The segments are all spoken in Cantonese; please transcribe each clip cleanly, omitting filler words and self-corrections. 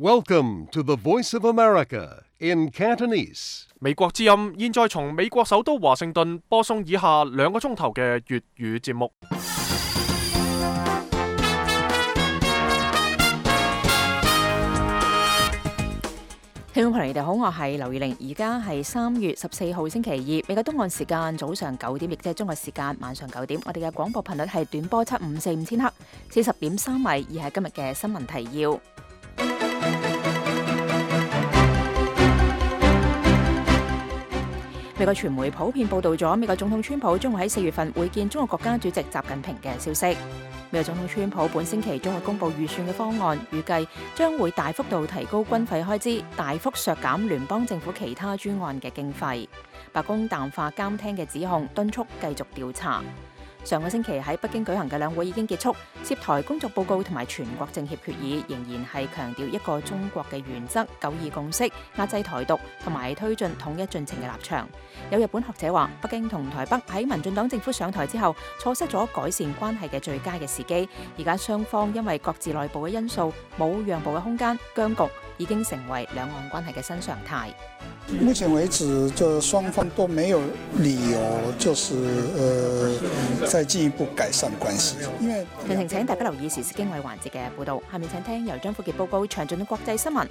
Welcome to the Voice of America in Cantonese. 美國之音現在從美國首都華盛頓播送以下2個鐘頭嘅粵語節目。聽眾朋友，你哋好，我係劉宇玲，而家係3月14號星期2，美國東岸時間早上9點，亦即係中國時間晚上9點。我哋嘅廣播頻率係短波7545千赫，40.3米，以係今日嘅新聞提要。美國傳媒普遍報道咗美國總統川普將會喺4月份會見中國國家主席習近平嘅消息。美國總統川普本星期將會公布預算嘅方案，預計將會大幅度提高軍費開支，大幅削減聯邦政府其他專案嘅經費。白宮淡化監聽嘅指控，敦促繼續調查。上個星期喺北京舉行嘅兩會已經結束，涉台工作報告同埋全國政協決議仍然係強調一個中國嘅原則、9·2共識、壓制台獨同埋推進統一進程嘅立場。有日本學者話，北京同台北喺民進黨政府上台之後，錯失咗改善關係嘅最佳嘅時機。而家雙方因為各自內部嘅因素冇讓步嘅空間，僵局已經成為兩岸關係嘅新常態。目前為止，就雙方都沒有理由，再進一步改善關係。因為詳情請大家留意時事經緯環節嘅報導。下面請聽由張富傑報告詳盡嘅國際新聞。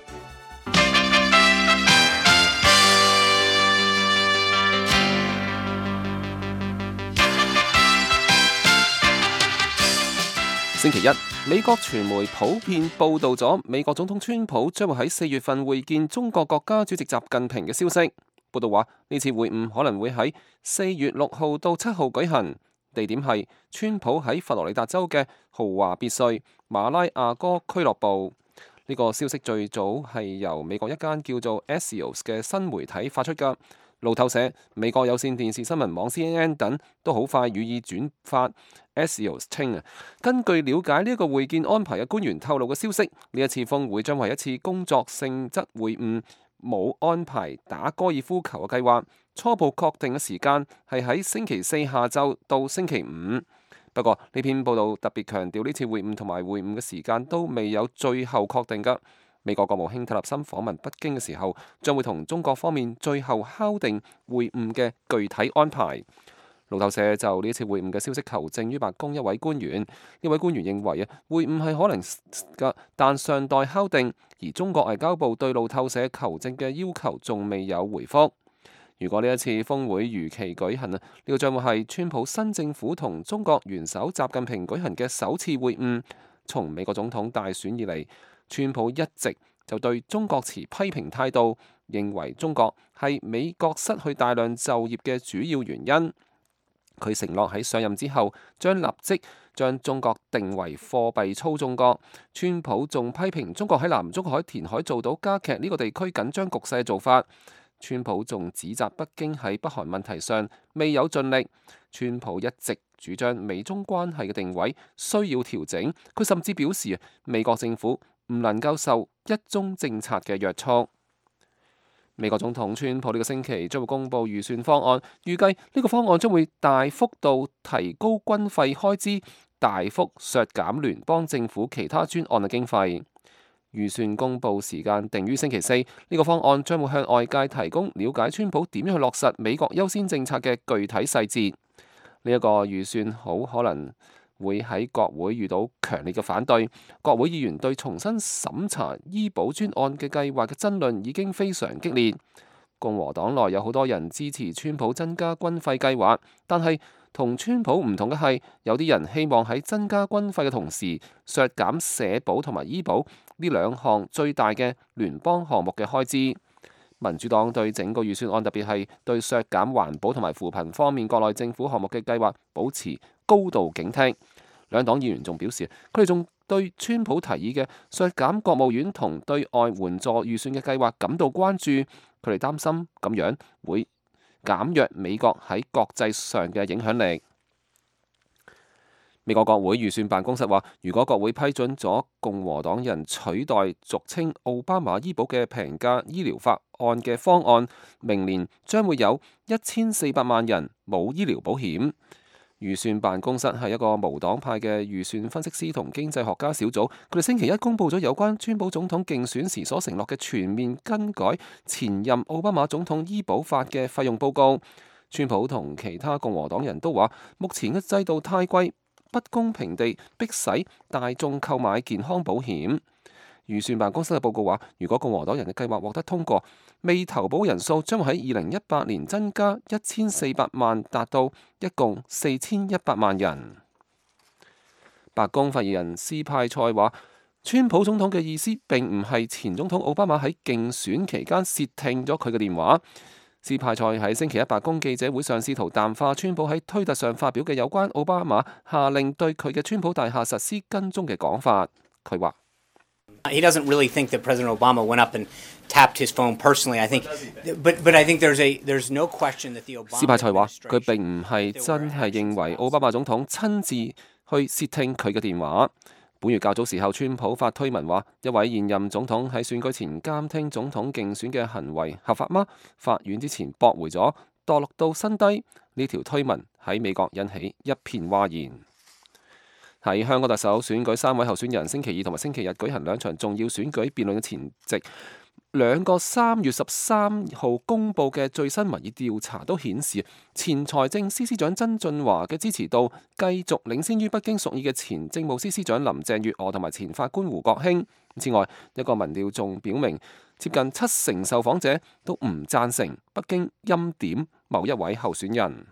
星期一，美國傳媒普遍報道咗美國總統川普將會喺4月份會見中國國家主席習近平嘅消息。報道話，呢次會晤可能會喺4月6號到7號舉行，地點係川普喺佛羅里達州嘅豪華別墅馬拉亞哥俱樂部。呢個消息最早係由美國一間叫做 Axios 嘅新媒體發出㗎。路透社、美國有線電視新聞網 CNN 等都好快予以轉發。Axios 稱根據了解呢一個會見安排嘅官員透露嘅消息，呢一次峰會將為一次工作性質會晤，冇安排打高爾夫球嘅計劃。初步確定嘅時間係喺星期4下晝到星期5。不過呢篇報道特別強調，呢次會晤同埋會晤嘅時間都未有最後確定㗎。美國國務卿蒂勒森訪問北京嘅時候，將會同中國方面最後敲定會晤嘅具體安排。路透社就呢次會晤嘅消息求證於白宮一位官員，呢位官員認為會晤係可能嘅，但尚待敲定。而中國外交部對路透社求證嘅要求仲未有回覆。如果呢一次峰會如期舉行呢個將會係川普新政府同中國元首習近平舉行嘅首次會晤。從美國總統大選以嚟，川普一直就對中國持批評態度，認為中國係美國失去大量就業嘅主要原因。佢承諾喺上任之後將立即將中國定為貨幣操縱國。川普仲批評中國喺南中海填海做到加劇呢個地區緊張局勢嘅做法。川普仲指責北京喺北韓問題上未有盡力。川普一直主張美中關係嘅定位需要調整。佢甚至表示美國政府唔能夠受一中政策嘅約束。美國總統川普呢個星期將會公布預算方案，預計呢個方案將會大幅度提高軍費開支，大幅削減聯邦政府其他專案嘅經費。預算公布時間定於星期4，呢個方案將會向外界提供了解川普點樣去落實美國優先政策嘅具體細節。呢一個預算好可能會喺國會遇到強烈嘅反對。國會議員對重新審查醫保專案嘅計劃嘅爭論已經非常激烈。共和黨內有好多人支持川普增加軍費計劃，但係同川普唔同嘅係，有啲人希望喺增加軍費嘅同時削減社保同埋醫保呢兩項最大嘅聯邦項目嘅開支。民主黨對整個預算案，特別係對削減環保同埋扶貧方面國內政府項目嘅計劃保持高度警惕。兩黨議員仲表示，佢哋仲對川普提議嘅削減國務院同對外援助預算嘅計劃感到關注。佢哋擔心咁樣會減弱美國喺國際上嘅影響力。美國國會預算辦公室話，如果國會批准咗共和黨人取代俗稱奧巴馬醫保嘅平價醫療法案嘅方案，明年將會有1400萬人冇醫療保險。預算辦公室係一個無黨派嘅預算分析師同經濟學家小組，佢哋星期一公佈咗有關川普總統競選時所承諾嘅全面更改前任奧巴馬總統醫保法嘅費用報告。川普同其他共和黨人都話，目前嘅制度太貴，不公平地迫使大眾購買健康保險。預算辦公室嘅報告話，如果共和黨人嘅計劃獲得通過，未投保人數將會喺2018年增加1400萬，達到一共4100萬人。白宮發言人斯派塞話，川普總統嘅意思並唔係前總統奧巴馬喺競選期間竊聽咗佢嘅電話。斯派塞喺星期一白宮記者會上試圖淡化川普喺推特上發表嘅有關奧巴馬下令對佢嘅川普大廈實施跟蹤嘅講法。佢話：He doesn't really think that President Obama went up and tapped his phone personally. I think, but I think there's no question that the Obama。斯派塞話：佢並唔係真係認為奧巴馬總統親自去竊聽佢嘅電話。本月較早時候，川普發推文話，一位現任總統喺選舉前監聽總統競選嘅行為合法嗎？法院之前駁回咗，墮落到新低。呢條推文喺美國引起一片譁然。喺香港特首選舉3位候選人星期二同埋星期日舉行2場重要選舉辯論嘅前夕，兩個3月13號公佈嘅最新民意調查都顯示，前財政司司長曾俊華嘅支持度繼續領先於北京屬意嘅前政務司司長林鄭月娥同埋前法官胡國興。此外，一個民調仲表明，接近70%受訪者都唔贊成北京欽點某一位候選人。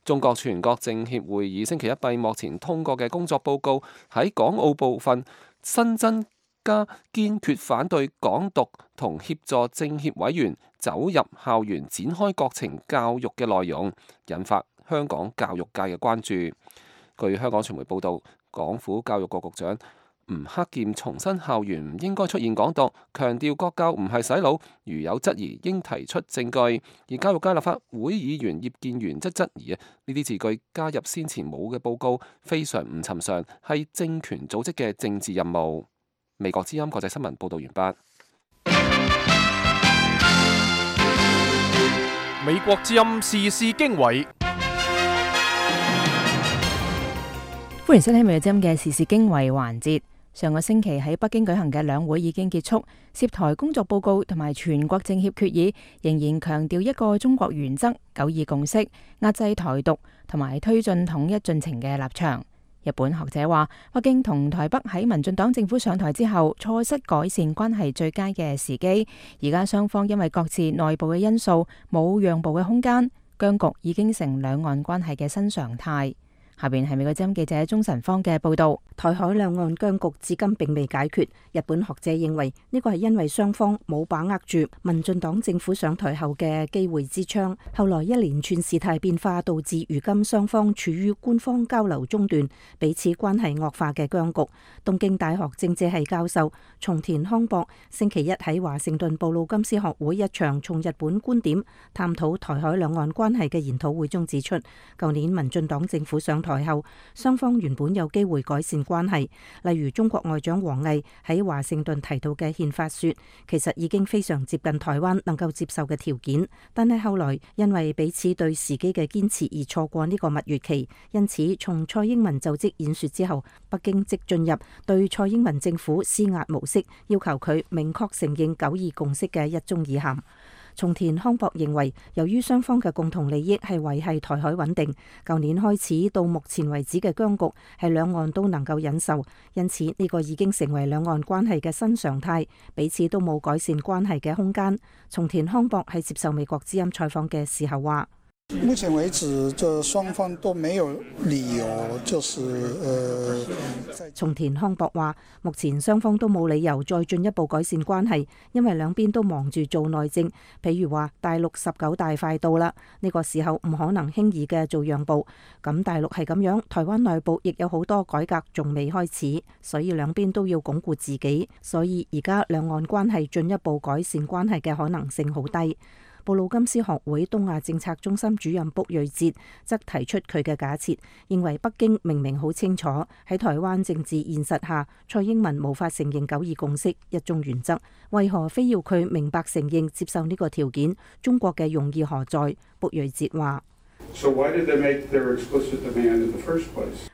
中國全國政協會議星期一閉幕前通過嘅工作報告喺港澳部分新增加堅決反對港獨同協助政協委員走入校園展開國情教育嘅內容，引發香港教育界嘅關注。據香港傳媒報道，港府教育局局長吳克儉重申校園唔應該出現港獨，強調國教唔係洗腦，如有質疑應提出證據。而教育界立法會議員葉建源則質疑呢啲字句加入先前冇嘅報告非常唔尋常，係政權組織嘅政治任務。美國之音國際新聞報道完畢。美國之音時事經緯。歡迎收聽美國之音嘅時事經緯環節。上個星期喺北京舉行嘅兩會已經結束，涉台工作報告同埋全國政協決議仍然強調一個中國原則、9·2共識、壓制台獨同埋推進統一進程嘅立場。日本學者話，北京同台北喺民進黨政府上台之後，錯失改善關係最佳嘅時機。而家雙方因為各自內部嘅因素，冇讓步嘅空間，僵局已經成兩岸關係嘅新常態。下邊係美國之音記者鍾晨芳嘅報道。台海兩岸僵局至今並未解決，日本學者認為呢個係因為雙方冇把握住民進黨政府上台後嘅機會之窗，後來一連串事態變化導致如今雙方處於官方交流中斷、彼此關係惡化嘅僵局。東京大學政治系教授松田康博星期一喺華盛頓布魯金斯學會一場從日本觀點探討台海兩岸關係嘅研討會中指出，舊年民進黨政府上台後，雙方原本有機會改善關係，例如中國外長王毅喺華盛頓提到嘅憲法說，其實已經非常接近台灣能夠接受嘅條件，但係後來因為彼此對時機嘅堅持而錯過呢個蜜月期，因此從蔡英文就職演說之後，北京即進入對蔡英文政府施壓模式，要求佢明確承認9·2共識嘅一中意涵。松田康博認為，由於雙方嘅共同利益係維繫台海穩定，舊年開始到目前為止嘅僵局係兩岸都能夠忍受，因此呢個已經成為兩岸關係嘅新常態，彼此都冇改善關係嘅空間。松田康博喺接受美國之音採訪嘅時候話：目前為止，就雙方都沒有理由，松田康博話，目前雙方都冇理由再進一步改善關係，因為兩邊都忙住做內政。譬如話大陸19大快到啦，呢個時候唔可能輕易嘅做讓步。咁大陸係咁樣，台灣內部亦有好多改革仲未開始，所以兩邊都要鞏固自己。所以而家兩岸關係進一步改善關係嘅可能性好低。布魯金斯學會東亞政策中心主任卜瑞哲則提出佢嘅假設，認為北京明明好清楚喺台灣政治現實下，蔡英文無法承認9·2共識一中原則，為何非要佢明白承認接受呢個條件？中國嘅用意何在？卜瑞哲話：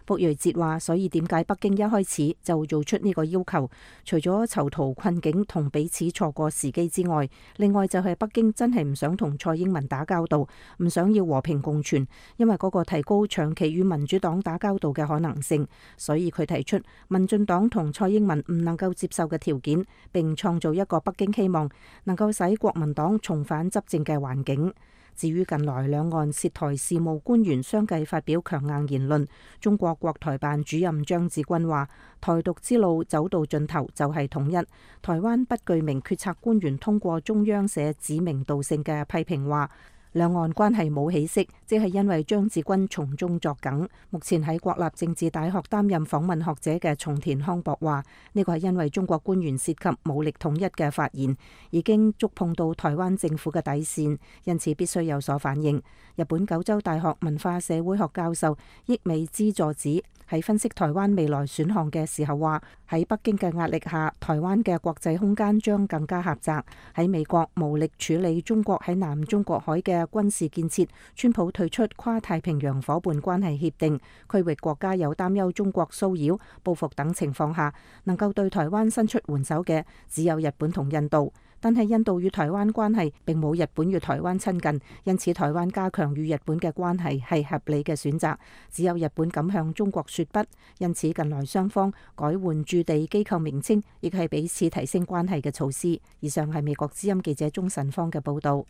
卜瑞哲話：所以點解北京一開始就做出呢個要求？除咗囚徒困境同彼此錯過時機之外，另外就係北京真係唔想同蔡英文打交道，唔想要和平共存，因為嗰個提高長期與民主黨打交道嘅可能性，所以佢提出民進黨同蔡英文唔能夠接受嘅條件，並創造一個北京希望能夠使國民黨重返執政嘅環境。至於近來兩岸涉台事務官員相繼發表強硬言論，中國國台辦主任張志軍話：台獨之路走到盡頭就係統一。台灣不具名決策官員通過中央社指名道姓嘅批評話，兩岸關係冇起色，即係因為張志軍從中作梗。目前喺國立政治大學擔任訪問學者嘅松田康博話：呢個係因為中國官員涉及武力統一嘅發言，已經觸碰到台灣政府嘅底線，因此必須有所反應。日本九州大學文化社會學教授益美之助子喺分析台灣未來選項嘅時候話：喺北京嘅壓力下，台灣嘅國際空間將更加狹窄。喺美國無力處理中國喺南中國海嘅軍事建設，川普退出跨太平洋夥伴關係協定，區域國家有擔憂中國騷擾、報復等情況下，能夠對台灣伸出援手嘅只有日本同印度。但係印度與台灣關係並冇日本與台灣親近，因此台灣加強與日本嘅關係係合理嘅選擇。只有日本敢向中國說不，因此近來雙方改換駐地機構名稱，亦係彼此提升關係嘅措施。以上係美國之音記者鍾晨芳嘅報導。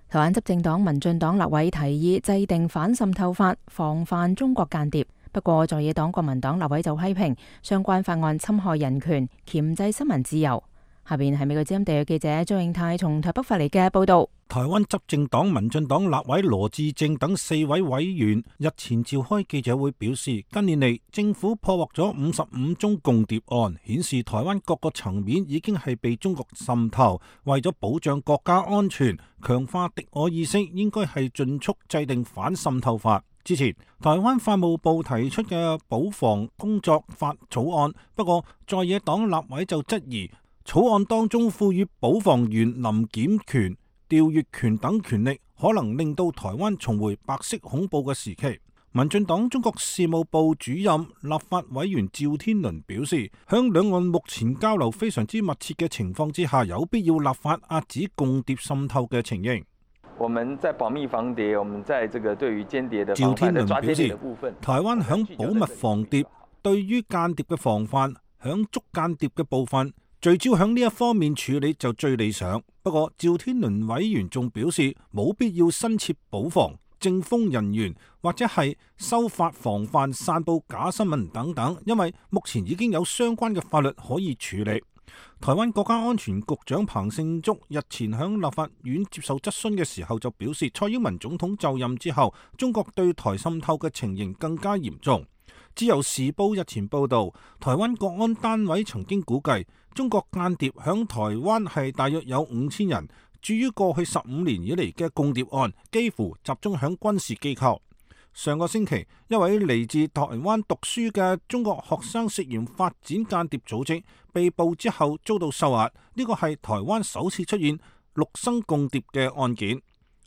台灣執政黨民進黨立委提議制定反滲透法，防範中國間諜。不過在野黨國民黨立委就批評相關法案侵害人權，鉗制新聞自由。下邊係美國之音地約記者張永泰從台北發嚟嘅報道。台灣執政黨民進黨立委羅致政等4位委員日前召開記者會，表示近年嚟政府破獲咗55宗共諜案，顯示台灣各個層面已經係被中國滲透。為咗保障國家安全，強化敵我意識，應該係盡速制定反滲透法。之前台灣法務部提出嘅保防工作法草案，不過在野黨立委就質疑草案當中賦予保防員臨檢權、調閱權等權力，可能令到台灣重回白色恐怖嘅時期。民進黨中國事務部主任立法委員趙天麟表示，響兩岸目前交流非常之密切嘅情況之下，有必要立法遏止共諜滲透嘅情形。我們在保密防諜，我們在這個對於間諜的防範的抓間諜的部分，台灣響保密防諜，對於間諜嘅防範，響捉間諜嘅部分，聚焦響呢一方面處理就最理想。不過趙天麟委員仲表示，冇必要新設保防、政風人員或者係修法防範散佈假新聞等等，因為目前已經有相關嘅法律可以處理。台灣國家安全局長彭勝竹日前響立法院接受質詢嘅時候就表示，蔡英文總統就任之後，中國對台滲透嘅情形更加嚴重。自由時報日前報道，台灣國安單位曾經估計，中國間諜響台灣係大約有5000人。至於過去15年以嚟嘅共諜案，幾乎集中響軍事機構。上個星期，一位嚟自台灣讀書嘅中國學生涉嫌發展間諜組織，被捕之後遭到收押。呢個係台灣首次出現陸生共諜嘅案件。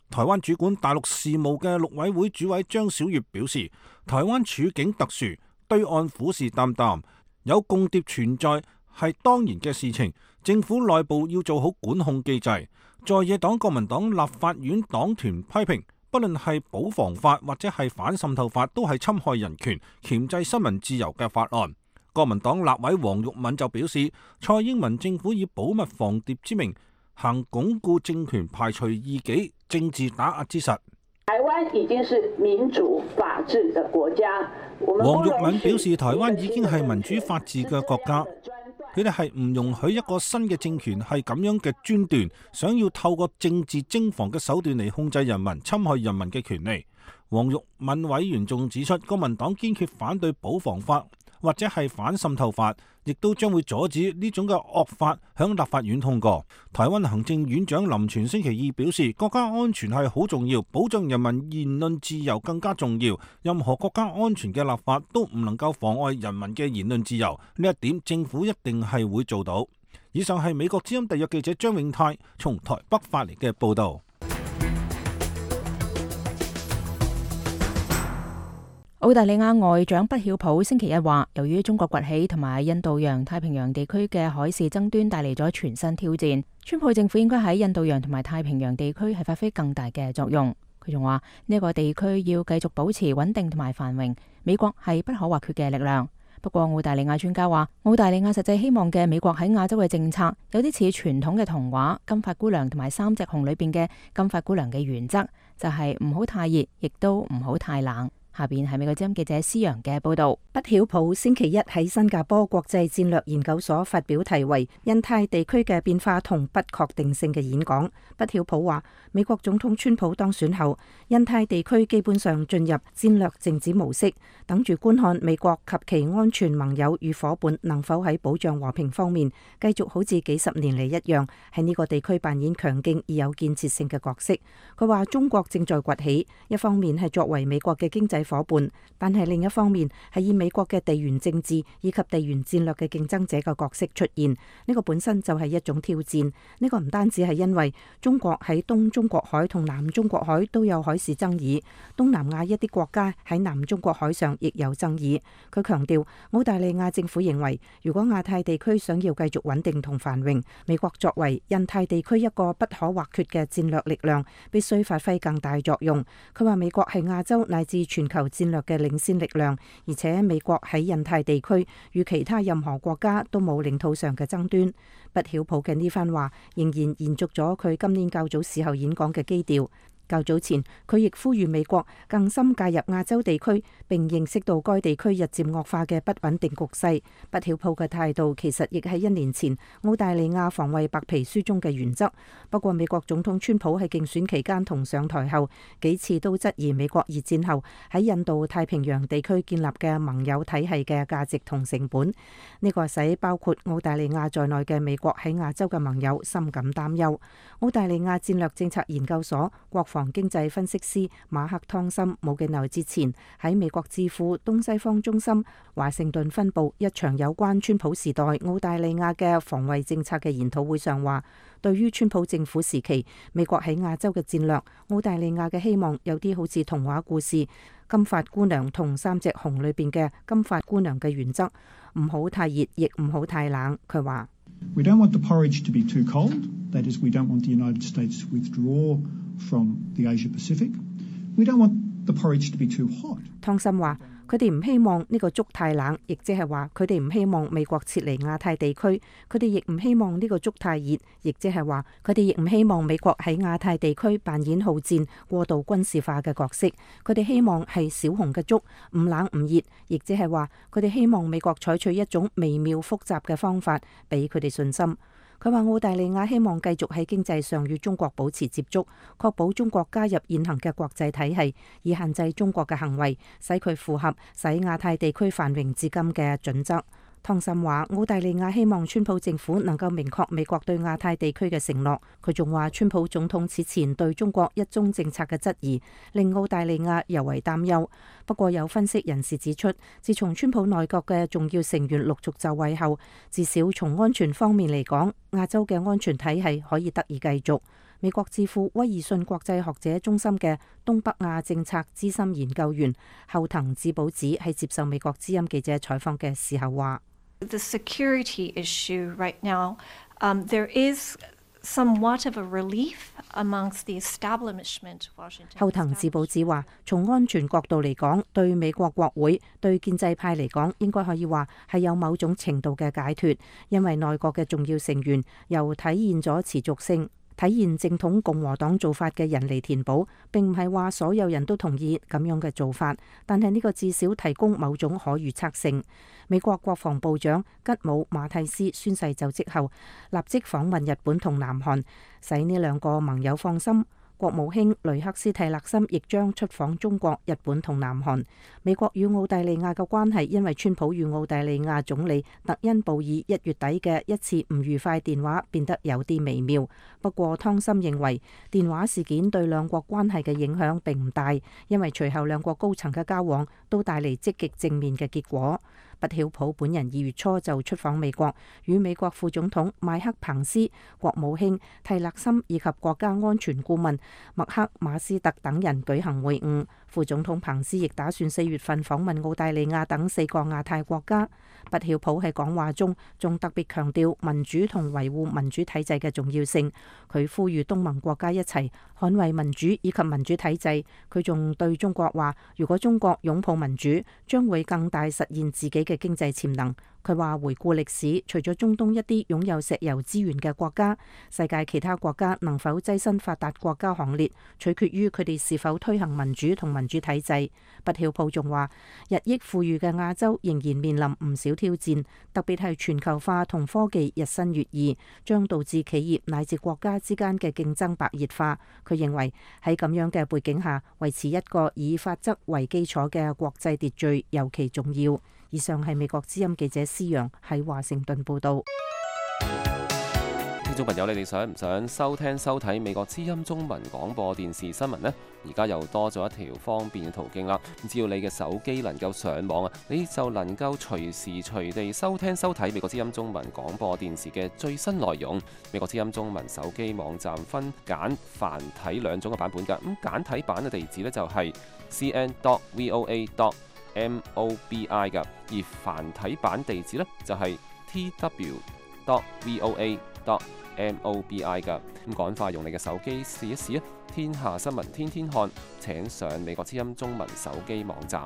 台灣主管大陸事務嘅陸委會主委張曉月表示，台灣處境特殊，對岸虎視眈眈，有共諜存在係當然嘅事情，政府內部要做好管控機制。在野黨國民黨立法院黨團批評，不論係保防法或者係反滲透法，都係侵害人權、鉗制新聞自由嘅法案。國民黨立委黃玉敏就表示，蔡英文政府以保密防諜之名，行鞏固政權、排除異己、政治打壓之實。台灣已經是民主法治的國家。黃玉敏表示，台灣已經係民主法治嘅國家。佢哋係唔容許一個新嘅政權係咁樣嘅專斷，想要透過政治徵防嘅手段嚟控制人民、侵害人民嘅權利。黃玉敏委員仲指出，國民黨堅決反對保防法或者係反滲透法，亦都將會阻止呢種嘅惡法響立法院通過。台灣行政院長林全星期二表示，國家安全係好重要，保障人民言論自由更加重要。任何國家安全嘅立法都唔能夠妨礙人民嘅言論自由，呢一點政府一定係會做到。以上係美國之音特約記者張永泰從台北發嚟嘅報導。澳大利亞外長畢曉普星期一話，由於中國崛起同埋印度洋太平洋地區嘅海事爭端帶嚟咗全新挑戰，川普政府應該喺印度洋同埋太平洋地區係發揮更大嘅作用。佢仲話呢個地區要繼續保持穩定同埋繁榮，美國係不可或缺嘅力量。不過澳大利亞專家話，澳大利亞實際希望嘅美國喺亞洲嘅政策有啲似傳統嘅童話《金髮姑娘》同埋《三隻熊》裏邊嘅金髮姑娘嘅原則，就係唔好太熱，亦都唔好太冷。下邊係美國之音記者施洋嘅報道。畢曉普星期一喺新加坡國際戰略研究所發表題為《印太地區嘅變化同不確定性》嘅演講。畢曉普話，美國總統川普當選後，印太地區基本上進入戰略靜止模式，等住觀看美國及其安全盟友與夥伴能否喺保障和平方面繼續好似幾十年嚟一樣，喺呢個地區扮演強勁而有建設性嘅角色。佢話中國正在崛起，一方面係作為美國嘅經濟夥伴，但係另一方面係以美國嘅地緣政治以及地緣戰略嘅競爭者嘅角色出現。呢個本身就係一種挑戰。呢個唔單止係因為中國喺東中國海同南中國海都有海事爭議，東南亞一啲國家喺南中國海上亦有爭議。佢強調，澳大利亞政府認為，如果亞太地區想要繼續穩定同繁榮，美國作為印太地區一個不可或缺嘅戰略力量，必須發揮更大作用。佢話美國係亞洲乃至全球戰略嘅領先力量，而且美國喺印太地區與其他任何國家都冇領土上嘅爭端。畢曉普嘅呢番話仍然延續咗佢今年較早時候演講嘅基調。較早前，佢亦呼籲美國更深介入亞洲地區，並認識到該地區日漸惡化嘅不穩定局勢。畢曉普嘅態度其實亦係1年前澳大利亞防衛白皮書中嘅原則。不過，美國總統川普喺競選期間同上台後幾次都質疑美國二戰後喺印度太平洋地區建立嘅盟友體系嘅價值同成本。呢個使包括澳大利亞在內嘅美國喺亞洲嘅盟友深感擔憂。澳大利亞戰略政策研究所國防經濟分析師馬克湯森冇幾耐之前喺美國智庫東西方中心華盛頓分部一場有關川普時代澳大利亞嘅防衛政策嘅研討會上話，對於川普政府時期美國喺亞洲嘅戰略，澳大利亞嘅希望有啲好似童話故事《金髮姑娘》同《三隻熊》裏邊嘅金髮姑娘嘅原則，唔好太熱，亦唔好太冷。佢話We don't want the porridge to be too cold. That is, we don't want the United States to withdraw from the Asia Pacific. We don't want the porridge to be too hot. 湯森話：佢哋唔希望呢個粥太冷，亦即係話佢哋唔希望美國撤離亞太地區。佢哋亦唔希望呢個粥太熱，亦即係話佢哋亦唔希望美國喺亞太地區扮演好戰、過度軍事化嘅角色。佢哋希望係小熊嘅粥，唔冷唔熱，亦即係話佢哋希望美國採取一種微妙複雜嘅方法，俾佢哋信心。佢話澳大利亞希望繼續喺經濟上與中國保持接觸，確保中國加入現行嘅國際體系，以限制中國嘅行為，使佢符合使亞太地區繁榮至今嘅準則。湯森話：澳大利亞希望川普政府能夠明確美國對亞太地區嘅承諾。佢仲話，川普總統此前對中國一中政策嘅質疑，令澳大利亞尤為擔憂。不過有分析人士指出，自從川普內閣嘅重要成員陸續就位後，至少從安全方面嚟講，亞洲嘅安全體系可以得以繼續。美國智庫威爾遜國際學者中心嘅東北亞政策資深研究員後藤智保子喺接受美國之音記者採訪嘅時候話：The security issue right now, there is somewhat of a relief amongst the establishment. 後藤智保子話：從安全角度嚟講，對美國國會、對建制派嚟講，應該可以話係有某種程度嘅解脫，因為內閣嘅重要成員又體現咗持續性。體現正統共和黨做法嘅人嚟填補，並唔係話所有人都同意咁樣嘅做法，但係呢個至少提供某種可預測性。美國國防部長吉姆馬蒂斯宣誓就職後，立即訪問日本同南韓，使呢兩個盟友放心。國務卿雷克斯蒂勒森亦將出訪中國、日本同南韓。美國與澳大利亞嘅關係因為川普與澳大利亞總理特恩布爾1月底嘅一次唔愉快電話變得有啲微妙。不過湯森認為電話事件對兩國關係嘅影響並唔大，因為隨後兩國高層嘅交往都帶嚟積極正面嘅結果。不曉普本人2月初就出訪美國，與美國副總統麥克彭斯、國務卿蒂勒森以及國家安全顧問麥克馬斯特等人舉行會晤。副總統彭斯亦打算4月份訪問澳大利亞等4個亞太國家。不曉普喺講話中仲特別強調民主同維護民主體制嘅重要性。佢呼籲東盟國家一齊捍衛民主以及民主體制。佢仲對中國話，如果中國擁抱民主，將會更大實現自己嘅經濟潛能。佢話回顧歷史，除咗中東一啲擁有石油資源嘅國家，世界其他國家能否躋身發達國家行列，取決於佢哋是否推行民主同民主體制。不曉普仲話，日益富裕嘅亞洲仍然面臨唔少挑戰，特別係全球化同科技日新月異，將導致企業乃至國家之間嘅競爭白熱化。佢認為喺咁樣嘅背景下，維持一個以法則為基礎嘅國際秩序尤其重要。以上係美國之音記者施陽喺華盛頓報道。聽眾朋友，你哋想唔想收聽收睇美國之音中文廣播電視新聞呢？而家又多咗一條方便嘅途徑啦！只要你嘅手機能夠上網啊，你就能夠隨時隨地收聽收睇美國之音中文廣播電視嘅最新內容。美國之音中文手機網站分簡繁體兩種嘅版本㗎。咁簡體版嘅地址呢，就係 cn.voa.mobi 㗎，而繁體版地址呢，就係 tw.voa.mobi 㗎。咁趕快用你嘅手機試一試啊！天下新聞天天看，請上美國之音中文手機網站。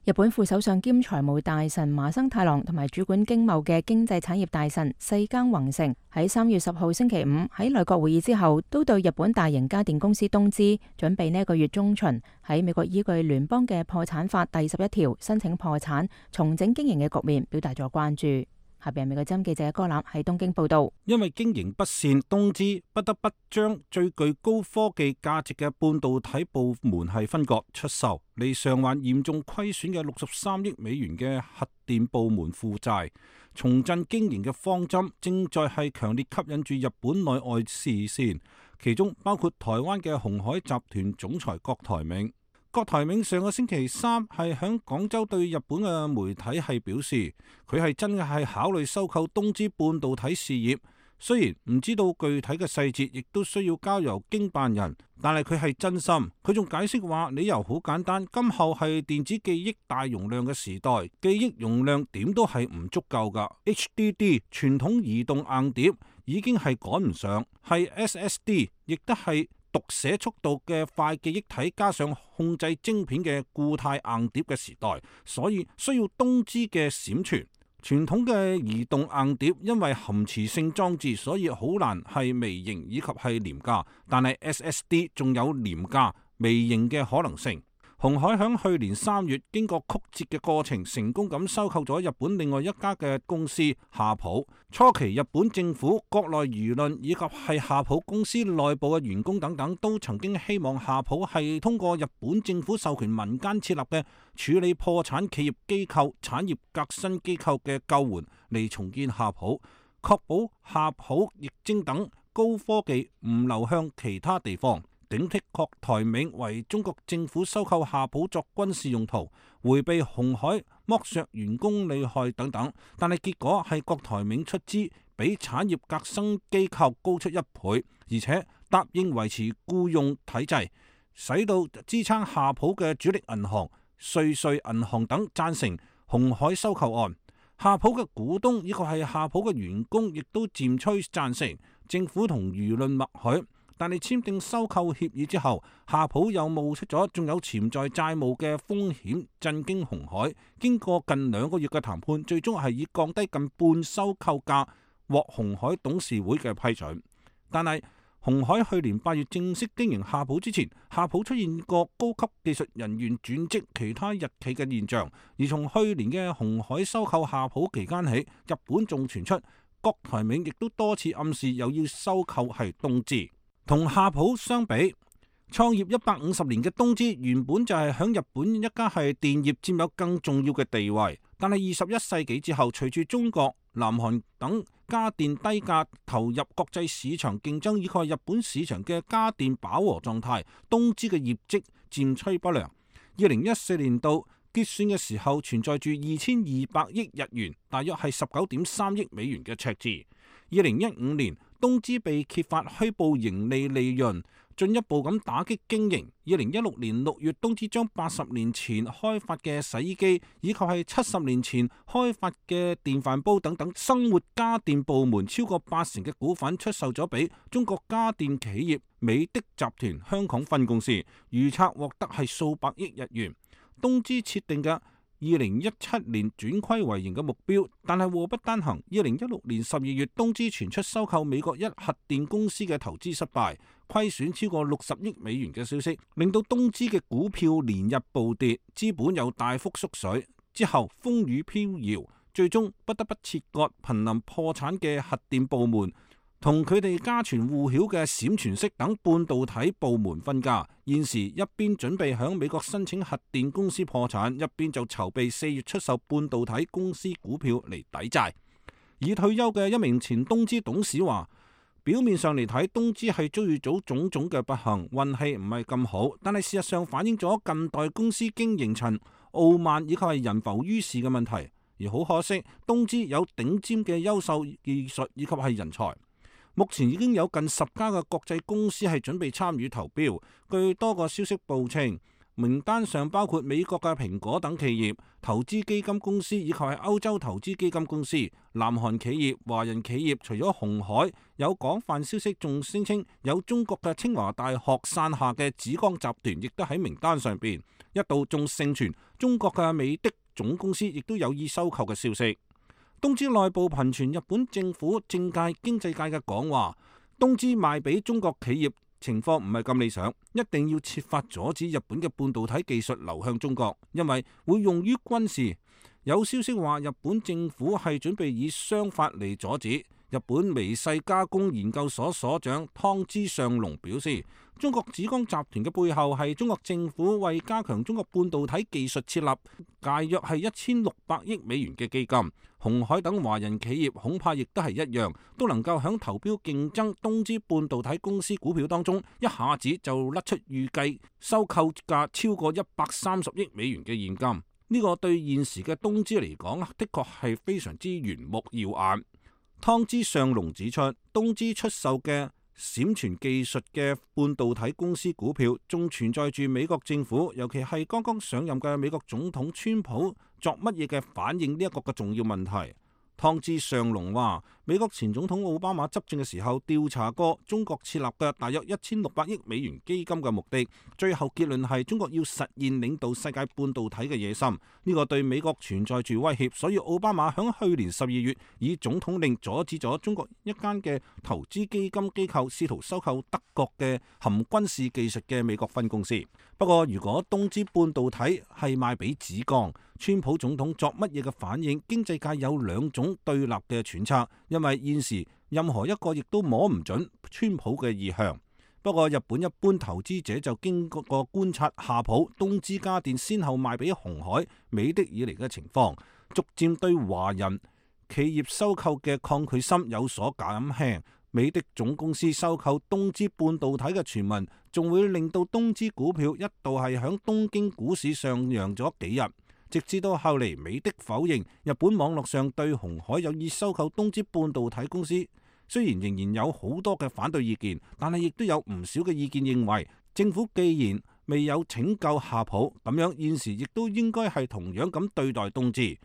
日本副首相兼財務大臣麻生太郎同埋主管經貿嘅經濟產業大臣世耕宏成喺3月10號星期五喺內閣會議之後，都對日本大型家電公司東芝準備呢一個月中旬喺美國依據聯邦嘅破產法第11條申請破產重整經營嘅局面表達咗關注。下邊美國之音記者柯南喺東京報道，因為經營不善，東芝不得不將最具高科技價值嘅半導體部門係分割出售，嚟償還嚴重虧損嘅63億美元嘅核電部門負債。重振經營嘅方針正在係強烈吸引住日本內外視線，其中包括台灣嘅鴻海集團總裁郭台銘。郭台銘上個星期三係響廣州對日本嘅媒體係表示，佢係真嘅係考慮收購東芝半導體事業，雖然唔知道具體嘅細節，亦都需要交由經辦人，但係佢係真心。佢仲解釋話，理由好簡單，今後係電子記憶大容量嘅時代，記憶容量點都係唔足夠㗎。HDD 傳統移動硬碟已經係趕唔上，係 SSD 亦都係讀寫速度嘅快記憶體加上控制晶片嘅固態硬碟嘅時代，所以需要東芝嘅閃存。傳統嘅移動硬碟因為含磁性裝置，所以好難係微型以及係廉價，但係 SSD 仲有廉價微型嘅可能性。鴻海響去年3月經過曲折嘅過程，成功咁收購咗日本另外一家嘅公司夏普。初期日本政府、國內輿論以及係夏普公司內部嘅員工等等，都曾經希望夏普係通過日本政府授權民間設立嘅處理破產企業機構產業革新機構嘅救援嚟重建夏普，確保夏普液晶等高科技唔流向其他地方。警惕郭台銘為中國政府收購夏普作軍事用途，迴避鴻海剝削員工利害等等，但係結果係郭台銘出資比產業革新機構高出1倍，而且答應維持僱用體制，使到支撐夏普嘅主力銀行瑞穗銀行等贊成鴻海收購案。夏普嘅股東以及係夏普嘅員工亦都漸趨贊成，政府同輿論默許。但係簽訂收購協議之後，夏普又冒出咗仲有潛在債務嘅風險，震驚鴻海。經過近2個月嘅談判，最終係以降低近半收購價獲鴻海董事會嘅批准。但係鴻海去年8月正式經營夏普之前，夏普出現過高級技術人員轉職其他日企嘅現象。而從去年嘅鴻海收購夏普期間起，日本仲傳出郭台銘亦都多次暗示又要收購係東芝。同夏普相比，創業150年嘅東芝原本就係響日本一家係電業佔有更重要嘅地位，但係21世紀之後，隨住中國、南韓等家電低價投入國際市場競爭，以及日本市場嘅家電飽和狀態，東芝嘅業績漸趨不良。2014年度結算嘅時候存在住2200億日元，大約係19.3億美元嘅赤字。2015年，東芝被揭發虛報盈利利潤，進一步咁打擊經營。2016年6月，東芝將80年前開發嘅洗衣機以及係70年前開發嘅電飯煲等等生活家電部門超過80%嘅股份出售咗俾中國家電企業美的集團香港分公司，預測獲得係數百億日元。東芝設定嘅2017年轉虧為盈嘅目標，但係禍不單行。2016年12月，東芝傳出收購美國一核電公司嘅投資失敗，虧損超過60億美元嘅消息，令到東芝嘅股票連日暴跌，資本又大幅縮水。之後風雨飄搖，最終不得不切割瀕臨破產嘅核電部門，同佢哋家傳戶曉嘅閃存式等半導體部門分家。現時一邊準備響美國申請核電公司破產，一邊就籌備4月出售半導體公司股票嚟抵債。已退休嘅一名前東芝董事話，表面上嚟睇，東芝係遭遇咗種種嘅不幸，運氣唔係咁好，但係事實上反映咗近代公司經營層傲慢以及係人浮於事嘅問題。而好可惜，東芝有頂尖嘅優秀技術以及係人才。目前已經有近10家嘅國際公司係準備參與投標。據多個消息報稱，名單上包括美國嘅蘋果等企業、投資基金公司以及係歐洲投資基金公司、南韓企業、華人企業。除咗鴻海，有廣泛消息仲聲稱有中國嘅清華大學傘下嘅紫光集團亦都喺名單上邊。一度仲盛傳中國嘅美的總公司亦都有意收購嘅消息。東芝內部頻傳日本政府、政界、經濟界嘅講話，東芝賣俾中國企業情況唔係咁理想，一定要設法阻止日本嘅半導體技術流向中國，因為會用於軍事。有消息話日本政府係準備以商法嚟阻止。日本微細加工研究所所長湯之上隆表示，中國紫光集團嘅背後係中國政府為加強中國半導體技術設立大約係1600億美元嘅基金。鴻海等華人企業恐怕亦都係一樣，都能夠響投標競爭東芝半導體公司股票當中，一下子就甩出預計收購價超過130億美元嘅現金。呢個對現時嘅東芝嚟講，的確係非常之圓目耀眼。湯之上隆指出，東芝出售嘅閃存技術嘅半導體公司股票，仲存在住美國政府，尤其係剛剛上任嘅美國總統川普作乜嘢嘅反應呢一個嘅重要問題。湯之上隆話，美國前總統奧巴馬執政嘅時候調查過中國設立嘅大約1600億美元基金嘅目的，最後結論係中國要實現領導世界半導體嘅野心，呢個對美國存在住威脅，所以奧巴馬響去年12月以總統令阻止咗中國一間嘅投資基金機構試圖收購德國嘅含軍事技術嘅美國分公司。不過如果東芝半導體係賣俾紫光，川普總統作乜嘢嘅反應，經濟界有兩種對立嘅揣測，因為現時任何一個亦都摸唔準川普嘅意向。不過日本一般投資者就經過觀察夏普、東芝家電先後賣俾鴻海、美的以嚟嘅情況，逐漸對華人企業收購嘅抗拒心有所減輕。美的總公司收購東芝半導體嘅傳聞，仲會令到東芝股票一度係響東京股市上揚咗幾日。直至到後嚟，美的否認日本網絡上對鴻海有意收購東芝半導體公司。雖然仍然有好多嘅反對意見，但係亦都有唔少嘅意見認為，政府既然未有拯救夏普，咁樣現時亦都應該係同樣咁對待東芝，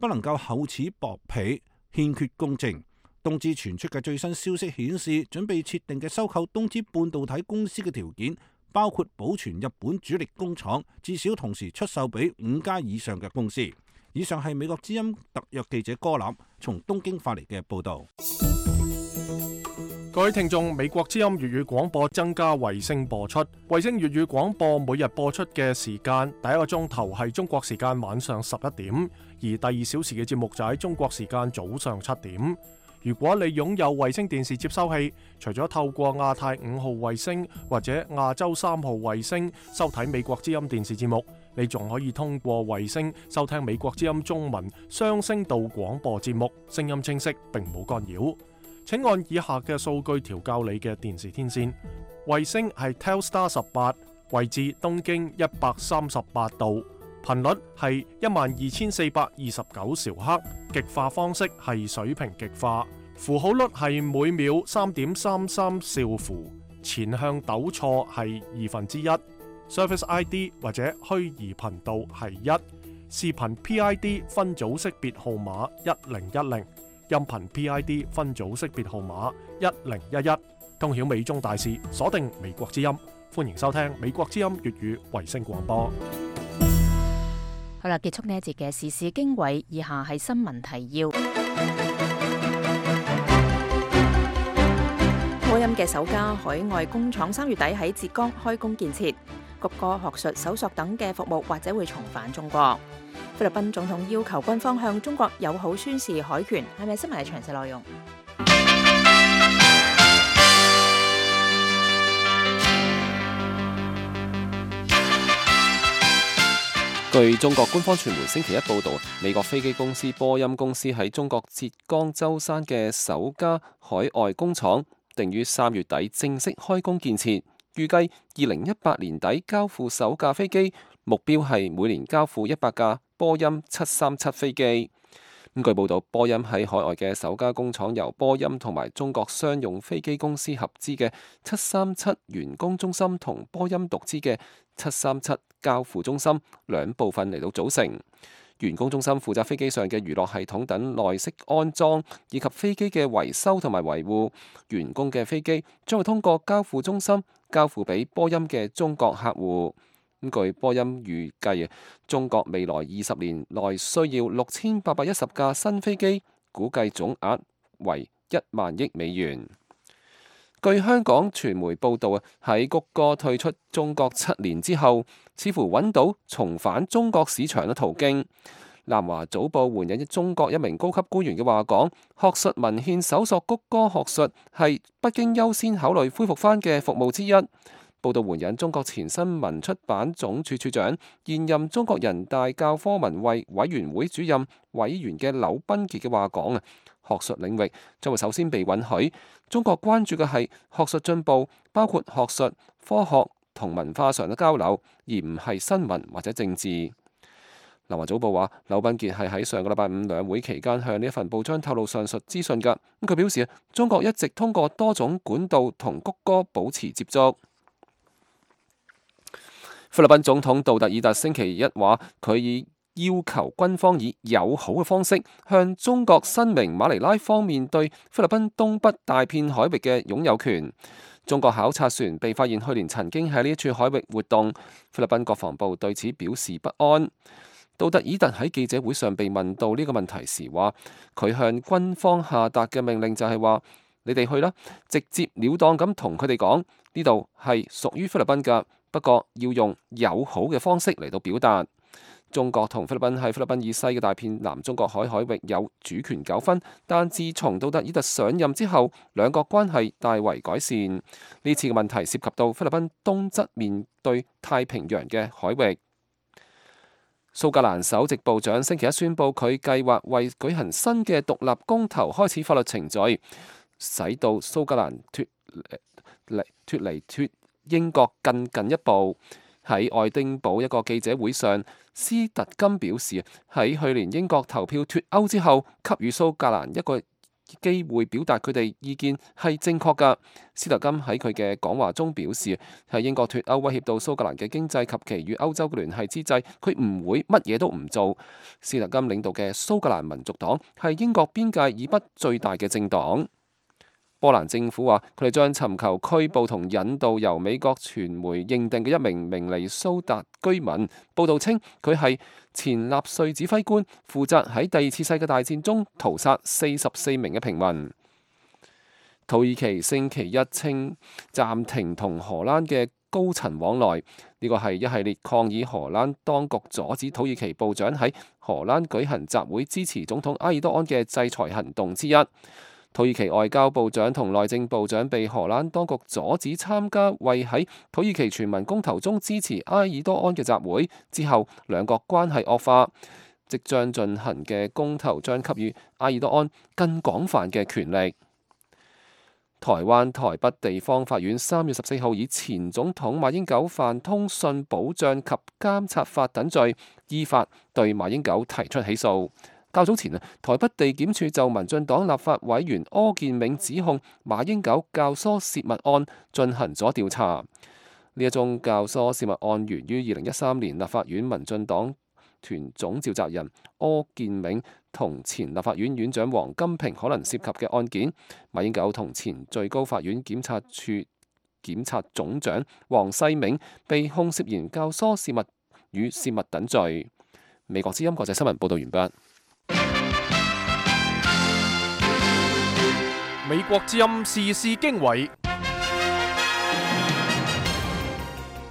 不能夠厚此薄彼，欠缺公正。東芝傳出嘅最新消息顯示，準備設定嘅收購東芝半導體公司嘅條件，包括保存日本主力工廠，至少同時出售俾5家以上嘅公司。以上係美國之音特約記者柯立從東京發嚟嘅報道。各位聽眾，美國之音粵語廣播增加衛星播出，衛星粵語廣播每日播出嘅時間，第一個鐘頭係中國時間晚上11點，而第2小時嘅節目就喺中國時間早上7點。如果你擁有衛星電視接收器，除咗透過亞太5號衛星或者亞洲3號衛星收睇美國之音電視節目，你仲可以通過衛星收聽美國之音中文雙聲道廣播節目，聲音清晰並冇干擾。請按以下嘅數據調校你嘅電視天線。衛星係 Telstar 18，位置東經138度，頻率係12429兆赫，極化方式係水平極化，符號率係每秒3.33兆符，前向抖錯係1/2。Service ID 或者虛擬頻道係1，視頻 PID 分組識別號碼1010，音頻 PID 分組識別號碼1011。通曉美中大事，鎖定美國之音，歡迎收聽美國之音粵語衛星廣播。好啦，結束呢一節嘅時事經緯，以下係新聞提要。波音嘅首家海外工廠3月底喺浙江開工建設。谷歌學術搜索等嘅服務或者會重返中國。菲律賓總統要求軍方向中國友好宣示海權，係咪新聞嘅詳細內容？據中國官方傳媒星期一報道，美國飛機公司波音公司喺中國浙江舟山嘅首家海外工廠，定於3月底正式開工建設。預計2018年底交付首架飛機，目標係每年交付100架波音737飛機。據報道，波音喺海外嘅首家工廠由波音同埋中國商用飛機公司合資嘅737員工中心同波音獨資嘅737交付中心兩部分嚟到組成。員工中心負責飛機上嘅娛樂系統等內飾安裝，以及飛機嘅維修同埋維護。員工嘅飛機將會通過交付中心交付俾波音嘅中國客戶。據波音預計，中國未來20年內需要6810架新飛機，估計總額為1萬億美元。據香港傳媒報道，喺谷歌退出中國7年之後，似乎揾到重返中國市場嘅途徑。南華早報援引中國一名高級官員嘅話講，學術文獻搜索谷歌學術係北京優先考慮恢復翻嘅服務之一。報道援引中國前新聞出版總署署長、現任中國人大教科文衛委員會主任委員嘅柳斌傑嘅話講學術領域將會首先被允許。中國關注嘅係學術進步，包括學術、科學同文化上嘅交流，而唔係新聞或者政治。南華早報話，柳斌傑係喺上個禮拜五兩會期間向呢一份報章透露上述資訊㗎。佢表示，中國一直通過多種管道同谷歌保持接觸。菲律賓總統杜特爾特星期一話，佢已要求軍方以友好嘅方式向中國申明馬尼拉方面對菲律賓東北大片海域嘅擁有權。中國考察船被發現去年曾經喺呢一處海域活動，菲律賓國防部對此表示不安。杜特爾特喺記者會上被問到呢個問題時話，佢向軍方下達嘅命令就係話，你哋去啦，直接了當咁同佢哋講，呢度係屬於菲律賓㗎，不過要用友好嘅方式嚟到表達。中國同菲律賓喺菲律賓以西嘅大片南中國海海域有主權糾紛，但自從杜特爾特上任之後，兩國關係大為改善。呢次嘅問題涉及到菲律賓東側面對太平洋嘅海域。蘇格蘭首席部長星期一宣布，佢計劃為舉行新嘅獨立公投開始法律程序，使到蘇格蘭脫離英國更近一步。喺愛丁堡一個記者會上，斯特金表示，喺去年英國投票脫歐之後，給予蘇格蘭一個機會表達佢哋意見係正確㗎。斯特金喺佢嘅講話中表示，喺英國脫歐威脅到蘇格蘭嘅經濟及其與歐洲嘅聯繫之際，佢唔會乜嘢都唔做。斯特金領導嘅蘇格蘭民族黨係英國邊界以北最大嘅政黨。波蘭政府話，佢哋將尋求拘捕同引渡由美國傳媒認定嘅一名明尼蘇達居民。報道稱，佢係前納粹指揮官，負責喺第二次世界大戰中屠殺44名嘅平民。土耳其星期一稱暫停同荷蘭嘅高層往來，呢個係一系列抗議荷蘭當局阻止土耳其部長喺荷蘭舉行集會支持總統埃爾多安嘅制裁行動之一。土耳其外交部長同內政部長被荷蘭當局阻止參加為喺土耳其全民公投中支持埃爾多安嘅集會之後，兩國關係惡化。即將進行嘅公投將給予埃爾多安更廣泛嘅權力。台灣台北地方法院3月14號以前總統馬英九犯通訊保障及監察法等罪，依法對馬英九提出起訴。較早前台北地檢署就民進黨立法委員柯建銘指控馬英九教唆洩密案進行咗調查。呢一宗教唆洩密案源於2013年立法院民進黨團總召集人柯建銘同前立法院院長王金平可能涉及嘅案件。馬英九同前最高法院檢察處檢察總長黃世銘被控涉嫌教唆洩密與洩密等罪。美國之音國際新聞報道完畢。美國之音時事經緯，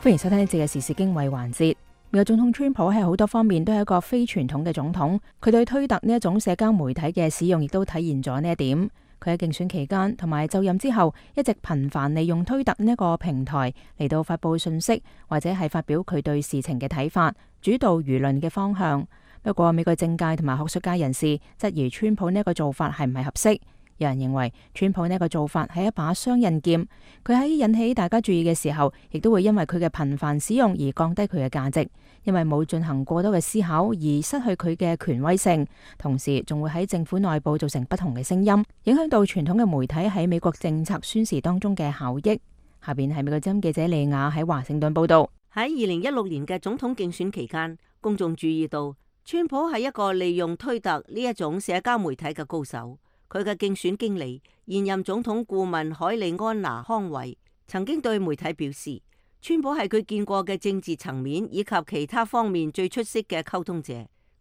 歡迎收聽呢節嘅時事經緯環節。美國總統川普喺好多方面都係一個非傳統嘅總統，佢對推特呢一種社交媒體嘅使用亦都體現咗呢一點。佢喺競選期間同埋就任之後，一直頻繁利用推特呢一個平台嚟到發佈信息，或者係發表佢對事情嘅睇法，主導輿論嘅方向。不過，美國政界同埋學術界人士質疑川普呢一個做法係唔係合適。有人認為川普呢個做法係一把雙刃劍，佢喺引起大家注意嘅時候，亦都會因為佢嘅頻繁使用而降低佢嘅價值，因為冇進行過多嘅思考而失去佢嘅權威性，同時仲會喺政府內部造成不同嘅聲音，影響到傳統嘅媒體喺美國政策宣示當中嘅效益。下邊係美國之音記者利亞喺華盛頓報道。喺2016年嘅總統競選期間，公眾注意到川普係一個利用推特呢一種社交媒體嘅高手。佢嘅競選經理現任總統顧問海莉安娜康維曾經對媒體表示，川普係佢見過嘅政治層面以及其他方面最出色嘅溝通者。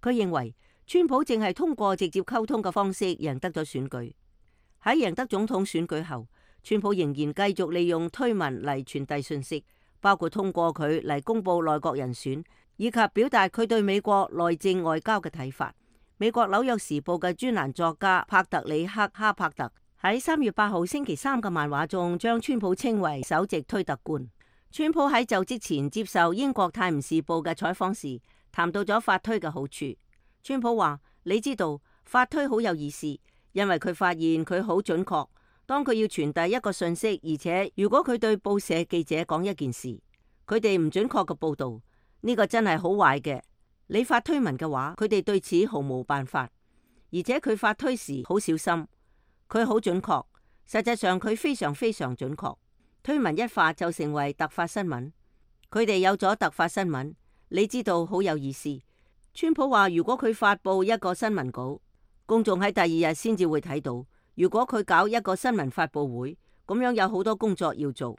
佢認為川普淨係通過直接溝通嘅方式贏得咗選舉。喺贏得總統選舉後，川普仍然繼續利用推文嚟傳遞信息，包括通過佢嚟公布內閣人選，以及表達佢對美國內政外交嘅睇法。美國紐約時報嘅專欄作家帕特里克哈柏特喺3月8號星期三嘅漫畫中，將川普稱為首席推特官。川普喺就職前接受英國泰晤士報嘅採訪時，談到咗發推嘅好處。川普話：你知道發推好有意思，因為佢發現佢好準確。當佢要傳遞一個信息，而且如果佢對報社記者講一件事，佢哋唔準確嘅報導，呢個真係好壞嘅。你發推文嘅話，佢哋對此毫無辦法，而且佢發推時好小心，佢好準確。實際上佢非常非常準確。推文一發就成為突發新聞，佢哋有咗突發新聞，你知道好有意思。川普話：如果佢發佈一個新聞稿，公眾喺第二日先至會睇到；如果佢搞一個新聞發佈會，咁樣有好多工作要做。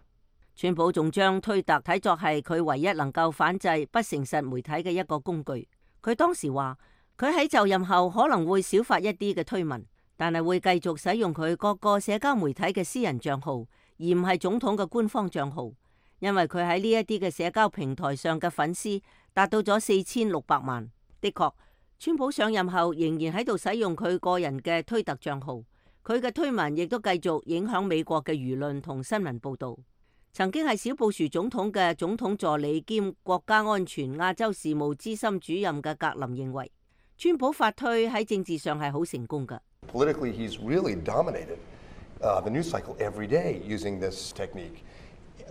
川普仲將推特睇作係佢唯一能夠反制不誠實媒體嘅一個工具。佢當時話，佢喺就任後可能會少發一啲嘅推文，但係會繼續使用佢各個社交媒體嘅私人賬號，而唔係總統嘅官方賬號，因為佢喺呢一啲嘅社交平台上嘅粉絲達到咗4600萬。的確，川普上任後仍然喺度使用佢個人嘅推特賬號，佢嘅推文亦都繼續影響美國嘅輿論同新聞報導。曾經係小布殊總統嘅總統助理兼國家安全亞洲事務資深主任嘅格林認為，川普發推喺政治上係好成功㗎。Politically, he's really dominated the news cycle every day using this technique.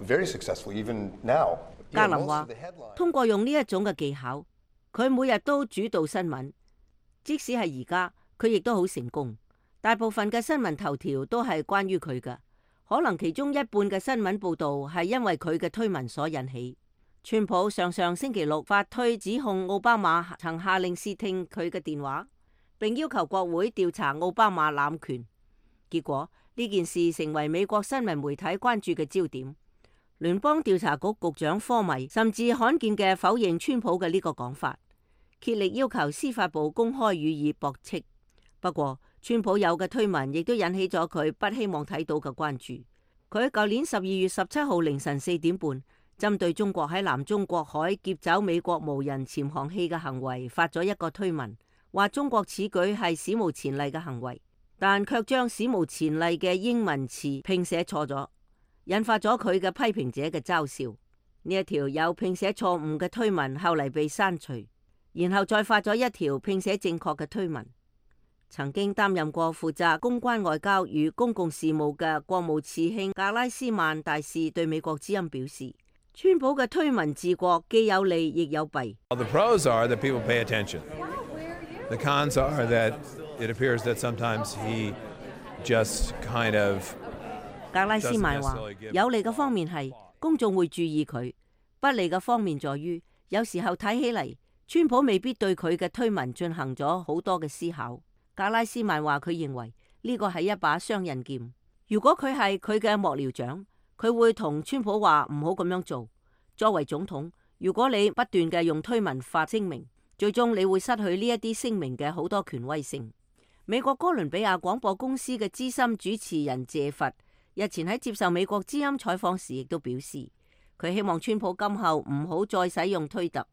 Very successful, even now. 格林話，通過用呢一種嘅技巧，佢每日都主導新聞，即使係而家，佢亦都好成功。大部分嘅新聞頭條都係關於佢㗎。可能其中一半嘅新聞報導係因為佢嘅推文所引起。川普上星期六發推指控奧巴馬曾下令竊聽佢嘅電話，並要求國會調查奧巴馬濫權。結果呢件事成為美國新聞媒體關注嘅焦點。聯邦調查局局長科米甚至罕見嘅否認川普嘅呢個講法，竭力要求司法部公開予以駁斥。不過，川普有嘅推文亦都引起咗佢不希望睇到嘅關注。佢喺舊年12月17號凌晨4點半，針對中國喺南中國海劫走美國無人潛航器嘅行為發咗一個推文，話中國此舉係史無前例嘅行為，但卻將史無前例嘅英文詞拼寫錯咗，引發咗佢嘅批評者嘅嘲笑。呢一條有拼寫錯誤嘅推文後嚟被刪除，然後再發咗一條拼寫正確嘅推文。曾經擔任過負責公關外交與公共事務嘅國務次卿格拉斯曼大使對美國之音表示，川普嘅推文治國既有利亦有弊。The pros are that people pay attention. The cons are that it appears that sometimes he just kind of 格拉斯曼話，有利嘅方面係公眾會注意佢，不利嘅方面在於有時候睇起嚟，川普未必對佢嘅推文進行咗好多嘅思考。格拉斯曼話佢認為呢個係一把雙刃劍。如果佢係佢嘅幕僚長，佢會同川普話唔好咁樣做。作為總統，如果你不斷嘅用推文發聲明，最終你會失去呢一啲聲明嘅好多權威性。美國哥倫比亞廣播公司嘅資深主持人謝佛日前喺接受美國之音採訪時，亦都表示佢希望川普今後唔好再使用推特，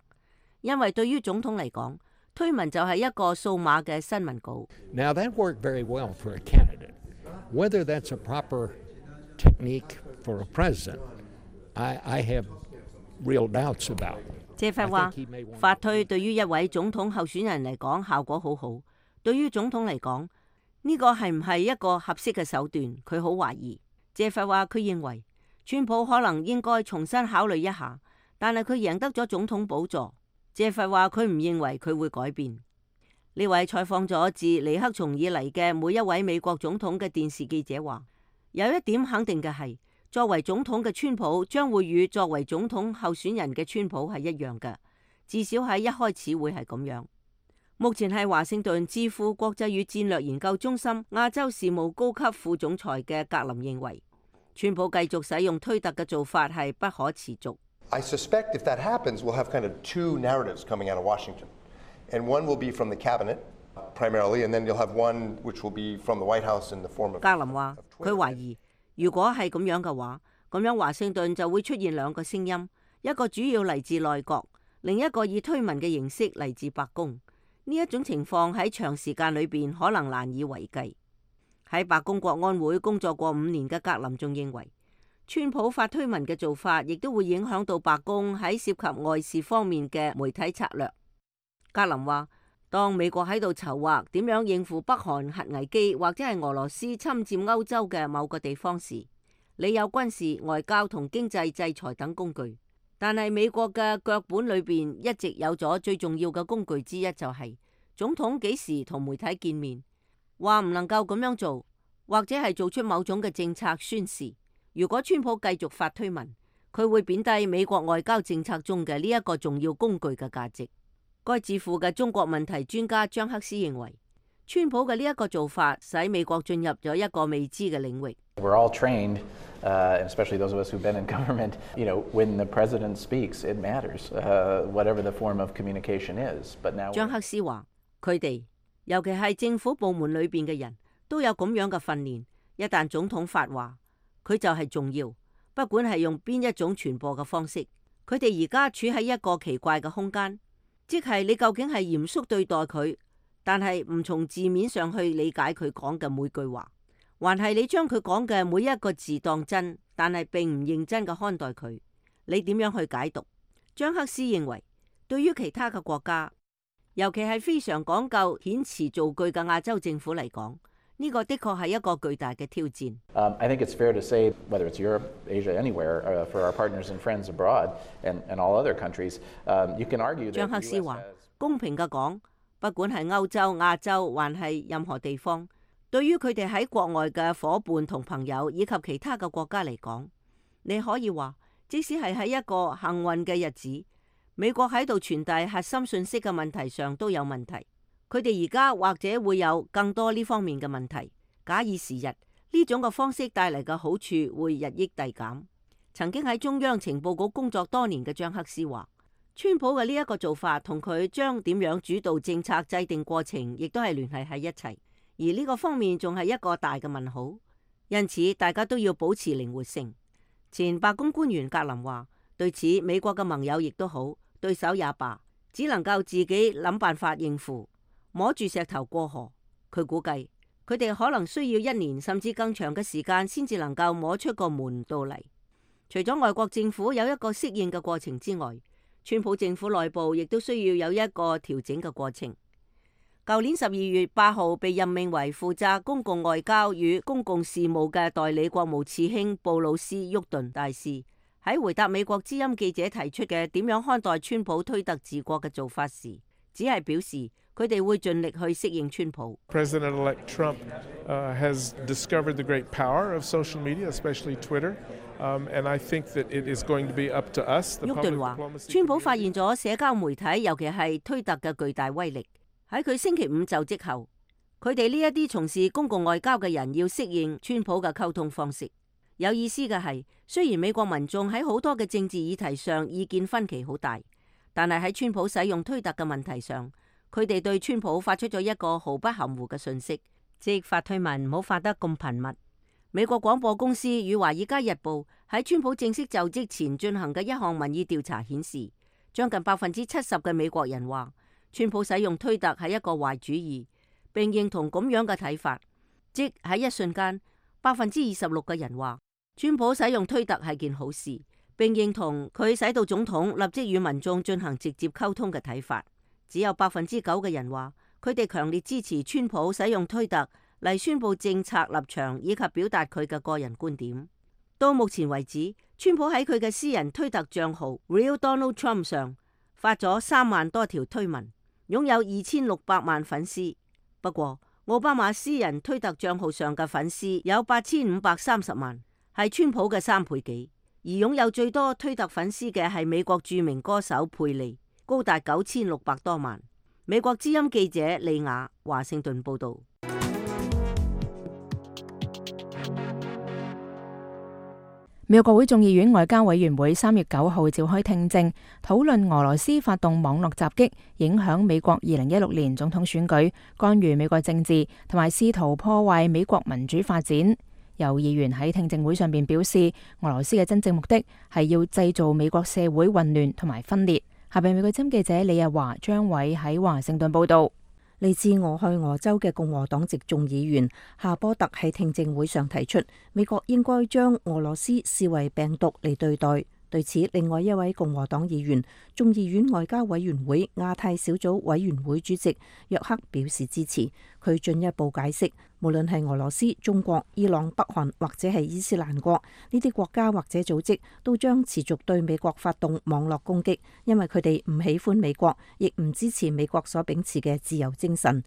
因為對於總統嚟講，推文就係一個數碼嘅新聞稿。Now that worked very well for a candidate. Whether that's a proper technique for a president, I have real doubts about. 謝佛話，發推對於一位總統候選人嚟講效果好好，對於總統嚟講呢個係唔係一個合適嘅手段，佢好懷疑。謝佛話佢認為川普可能應該重新考慮一下，但係佢贏得咗總統寶座。謝佛話佢唔認為佢會改變。呢位採訪咗自尼克松以嚟嘅每一位美國總統嘅電視記者話，有一點肯定嘅係，作為總統嘅川普將會與作為總統候選人嘅川普係一樣嘅，至少喺一開始會係咁樣。目前係華盛頓智庫國際與戰略研究中心亞洲事務高級副總裁嘅格林認為，川普繼續使用推特嘅做法係不可持續。I suspect if that happens, we'll have kind of two narratives coming out of Washington. And one will be from the cabinet, primarily, and then you'll have one which will be from the White House in the form of... 格林話，佢懷疑，如果係咁樣嘅話，咁樣華盛頓就會出現兩個聲音，一個主要嚟自內閣，另一個以推文嘅形式嚟自白宮。呢一種情況喺長時間裏邊可能難以為繼。喺白宮國安會工作過5年嘅格林仲認為，川普發推文嘅做法亦都會影響到白宮喺涉及外事方面嘅媒體策略。格林話，當美國喺度籌劃點樣應付北韓核危機或者係俄羅斯侵佔歐洲嘅某個地方時，你有軍事、外交同經濟制裁等工具，但係美國嘅腳本裏邊一直有咗最重要嘅工具之一，就係總統幾時同媒體見面，話唔能夠咁樣做，或者係做出某種嘅政策宣示。如果川普繼續發推文，佢會貶低美國外交政策中嘅呢一個重要工具嘅價值。該智庫嘅中國問題專家張克斯認為，川普嘅呢一個做法使美國進入咗一個未知嘅領域。We're all trained, especially those of us who've been in government. When the president speaks, it matters, whatever the form of communication is. But now 張克斯話，佢哋尤其係政府部門裏邊嘅人都有咁樣嘅訓練，一旦總統發話，佢就係重要，不管係用邊一種傳播嘅方式。佢哋而家處喺一個奇怪嘅空間，即係你究竟係嚴肅對待佢，但係唔從字面上去理解佢講嘅每句話，還係你將佢講嘅每一個字當真，但係並唔認真嘅看待佢。你點樣去解讀？張克斯認為，對於其他嘅國家，尤其係非常講究遣詞造句嘅亞洲政府嚟講，呢個的確係一個巨大嘅挑戰。I think it's fair to say, whether it's Europe, Asia, anywhere, for our partners and friends abroad and all other countries, you can argue that 張克斯話，公平嘅講，不管係歐洲、亞洲，還係任何地方，對於佢哋喺國外嘅夥伴同朋友以及其他嘅國家嚟講，你可以話，即使係喺一個幸運嘅日子，美國喺度傳遞核心信息嘅問題上都有問題。佢哋而家或者會有更多呢方面嘅問題。假以時日，呢種嘅方式帶嚟嘅好處會日益遞減。曾經喺中央情報局工作多年嘅張克斯話，川普嘅呢一個做法同佢將點樣主導政策制定過程，亦都係聯繫喺一齊。而呢個方面仲係一個大嘅問號。因此，大家都要保持靈活性。前白宮官員格林話，對此美國嘅盟友亦都好，對手也罷，只能夠自己諗辦法應付。摸住石頭過河，佢估計佢哋可能需要1年甚至更長嘅時間先至能夠摸出個門道嚟。除咗外國政府有一個適應嘅過程之外，川普政府內部亦都需要有一個調整嘅過程。舊年12月8號被任命為負責公共外交與公共事務嘅代理國務次卿布魯斯·沃頓大使喺回答美國之音記者提出嘅點樣看待川普推特治國嘅做法時，只係表示佢哋會盡力去適應川普。President-elect Trump has discovered the great power of social media, especially Twitter. And I think that it is going to be up to us. 沃頓話，川普發現咗社交媒體，尤其係推特嘅巨大威力。喺佢星期五就職後，佢哋呢一啲從事公共外交嘅人要適應川普嘅溝通方式。有意思嘅係，雖然美國民眾喺好多嘅政治議題上意見分歧好大，但係喺川普使用推特嘅問題上，佢哋對川普發出咗一個毫不含糊嘅訊息，即發推文唔好發得咁頻密。美國廣播公司與華爾街日報喺川普正式就職前進行嘅一項民意調查顯示，將近70%嘅美國人話川普使用推特係一個壞主意，並認同咁樣嘅睇法。即喺一瞬間，26%嘅人話川普使用推特係件好事，並認同佢使到總統立即與民眾進行直接溝通嘅睇法。只有9%嘅人話佢哋強烈支持川普使用推特嚟宣布政策立場以及表達佢嘅個人觀點。到目前為止，川普喺佢嘅私人推特賬號 Real Donald Trump 上發咗3萬多條推文，擁有2600萬粉絲。不過，奧巴馬私人推特賬號上嘅粉絲有8530萬，係川普嘅3倍幾。而擁有最多推特粉絲嘅係美國著名歌手佩利，高達9600多萬。美國之音記者李雅華盛頓報道。美國國會眾議院外交委員會3月9號召開聽證，討論俄羅斯發動網絡襲擊，影響美國2016年總統選舉，干預美國政治，同埋試圖破壞美國民主發展。有議員喺聽證會上邊表示，俄羅斯嘅真正目的係要製造美國社會混亂同埋分裂。下邊美國之音記者李日華、張偉喺華盛頓報道。嚟自俄亥俄州嘅共和黨籍眾議員夏波特喺聽證會上提出，美國應該將俄羅斯視為病毒嚟對待。對此，另外一位共和黨議員、眾議院外交委員會亞太小組委員會主席約克表示支持。佢進一步解釋，無論係俄羅斯、中國、伊朗、北韓或者係伊斯蘭國，呢啲國家或者組織都將持續對美國發動網絡攻擊，因為佢哋唔喜歡美國，亦唔支持美國所秉持嘅自由精神。